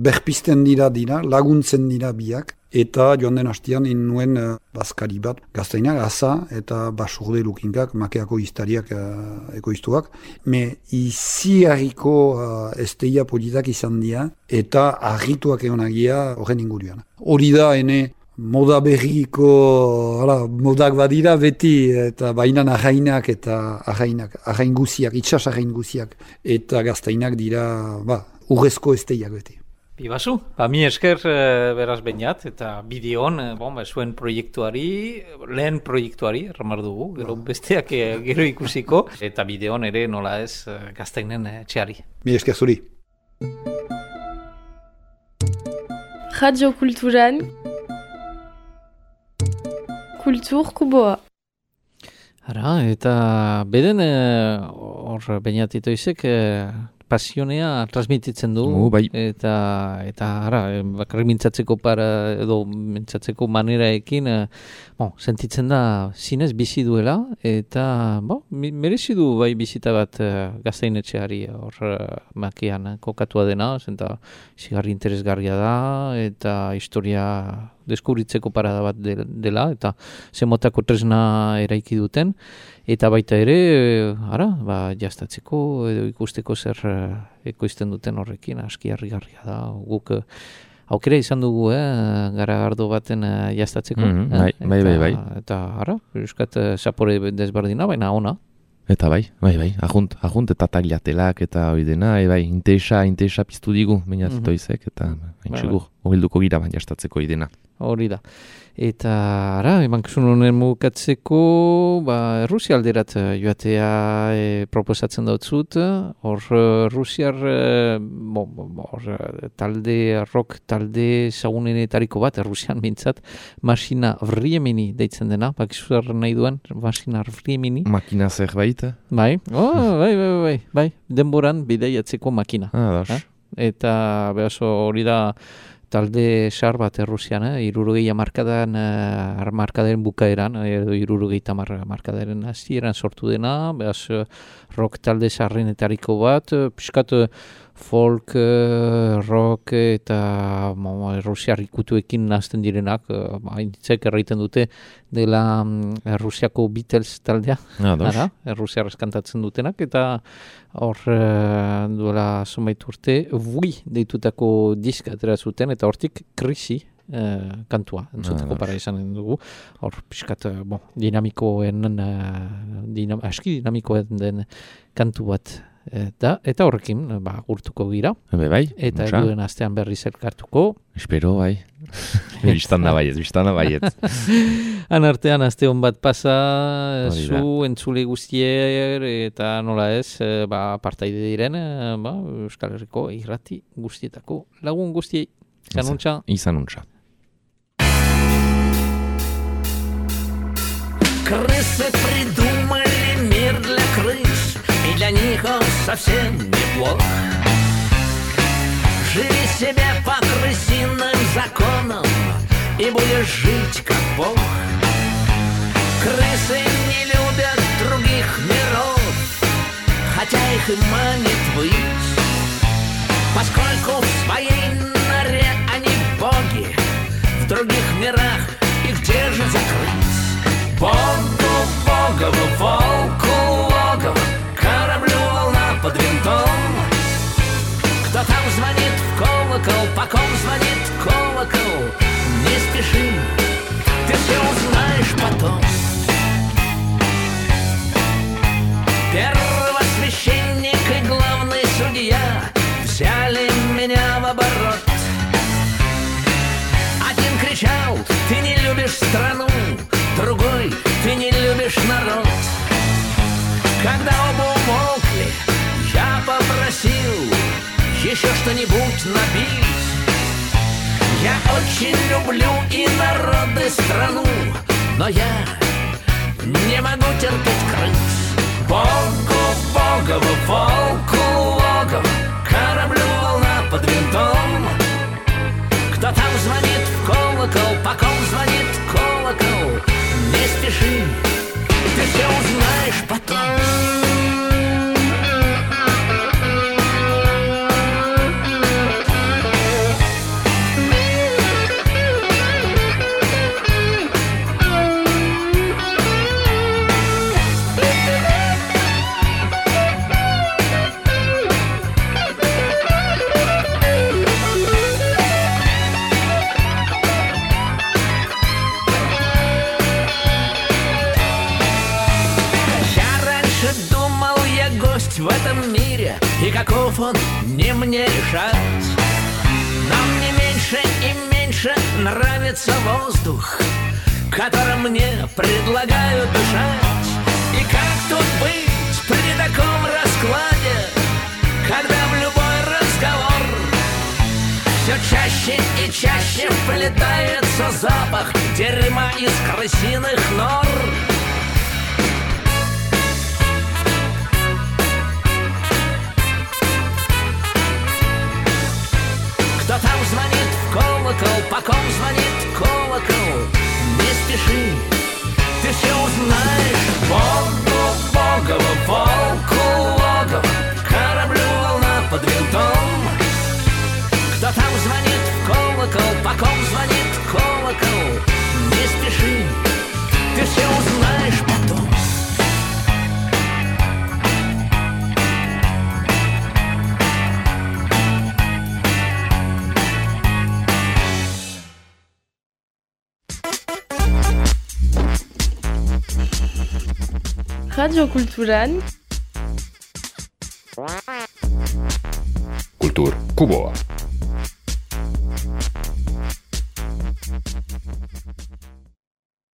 berpisten dira dira, laguntzen dira biak, eta joan den hastian nuen uh, bazkari bat, gaztainak aza eta basurde lukinkak, makeako iztariak uh, ekoiztuak, me izi harriko uh, esteia politak izan dira, eta harrituak egonagia horren ingurian. Hori da, ene, moda berriko, hala, modak badira beti, eta bainan arrainak eta arrainak, arrain guziak, itxas arrain guziak, eta gaztainak dira, ba, urrezko esteiak beti. Bibazu, ba, mi esker e, beraz bainat, eta bideon, e, bon, ba, zuen proiektuari, lehen proiektuari, erramar dugu, gero besteak e, gero ikusiko, eta bideon ere nola ez e, gaztainen e, txeari. Mi esker zuri. Radio Kulturan Kultur Kuboa. Ara, eta beden hor e, bainatito izek, e, pasionea transmititzen du, Oh, bai. eta eta ara, bakarrik mintzatzeko para edo mintzatzeko maneraekin, eh, bon, sentitzen da zinez bizi duela, eta bon, merezi du bai bizita bat eh, gaztainetxeari hor eh, makian eh, kokatua dena, zenta zigarri interesgarria da, eta historia deskubritzeko parada bat de, dela, eta zemotako tresna eraiki duten, eta baita ere, eh, ara, ba, jastatzeko edo ikusteko zer eh, ekoizten duten horrekin, aski harrigarria da, guk eh, aukera izan dugu, eh, garagardo baten eh, jastatzeko. Mhm, eh, bai, bai, bai, bai. Eta, eta ara, euskat eh, zapore desberdina, baina ona. Eta bai, bai, bai, ajunt, ajunt eta tagliatelak eta hori dena, e, bai, intesa, intesa piztu digu, baina Mhm. zitoizek, eta Bai, haintxegur, hobilduko gira baina jastatzeko idena. Hori da. Eta, ara, emankizun honen mugatzeko, ba, Rusia alderat eh, joatea e, proposatzen dautzut, hor eh, Rusiar, e, bo, bo, bo, hor, eh, talde, rock talde zagunenetariko bat, Rusian bintzat, Masina Vriemini deitzen dena, bakizu zer nahi duen, Masina Vriemini. Makina zerbait? Bai, oh, bai, bai, bai, bai, denboran bideiatzeko makina. Ah, das. Eh? Eta behaso hori da talde sar bat Errusian, eh? irurogei amarkadan, eh, amarkadaren bukaeran, edo irurogei tamar amarkadaren hasieran sortu dena, behaz eh, rock talde sarrenetariko bat, eh, piskat eh, folk, eh, rock eta mo, Errusiar ikutuekin nazten direnak, eh, hainitzek erraiten dute dela mm, Errusiako Beatles taldea, Ah, das. ara, Errusiar eskantatzen dutenak, eta hor eh, duela zonbait urte, Vui deitutako diska atera zuten, eta hortik krisi eh, kantua, entzuteko Ah, para izan dugu, hor pixkat, eh, bon, dinamikoen, eh, dinam, aski dinamikoen den kantu bat, eta, eta horrekin, eh, ba, gurtuko gira, Ebe bai, eta untsa. duen astean berriz elkartuko, Espero, bai. Bistan da baiet, bistan da baiet. han artean aste hon bat pasa, eh, Hori da. zu entzule guztier, eta nola ez, eh, ba, partaide diren, eh, ba, Euskal Herriko irrati guztietako lagun guztiei. Zanuntza. Izan untsa. Крысы придумали мир для крыс, и для них он совсем неплох. Живи себе по крысиным законам, и будешь жить как бог. Крысы не любят других миров, хотя их и манит высь, поскольку в своей норе они боги, в других мирах их держит закрыть. Богу, богову, волку, логово, кораблю волна под винтом. Кто там звонит в колокол, по ком звонит колокол, не спеши, ты все узнаешь потом. Первосвященник и главный судья взяли меня в оборот. Один кричал: ты не любишь страну, другой: ты не любишь народ. Когда оба умолкли, я попросил еще что-нибудь набить. Я очень люблю и народ, и страну, но я не могу терпеть крыс. Богу, богову, волку, логово, кораблю волна под винтом. Кто там звонит в колокол, по ком звонит колокол, не спеши, ты все узнаешь потом. В этом мире, и каков он, не мне решать. Но мне меньше и меньше нравится воздух, которым мне предлагают дышать. И как тут быть при таком раскладе, когда в любой разговор все чаще и чаще вплетается запах дерьма из крысиных нор? Radiokulturan Kultur Kuboa.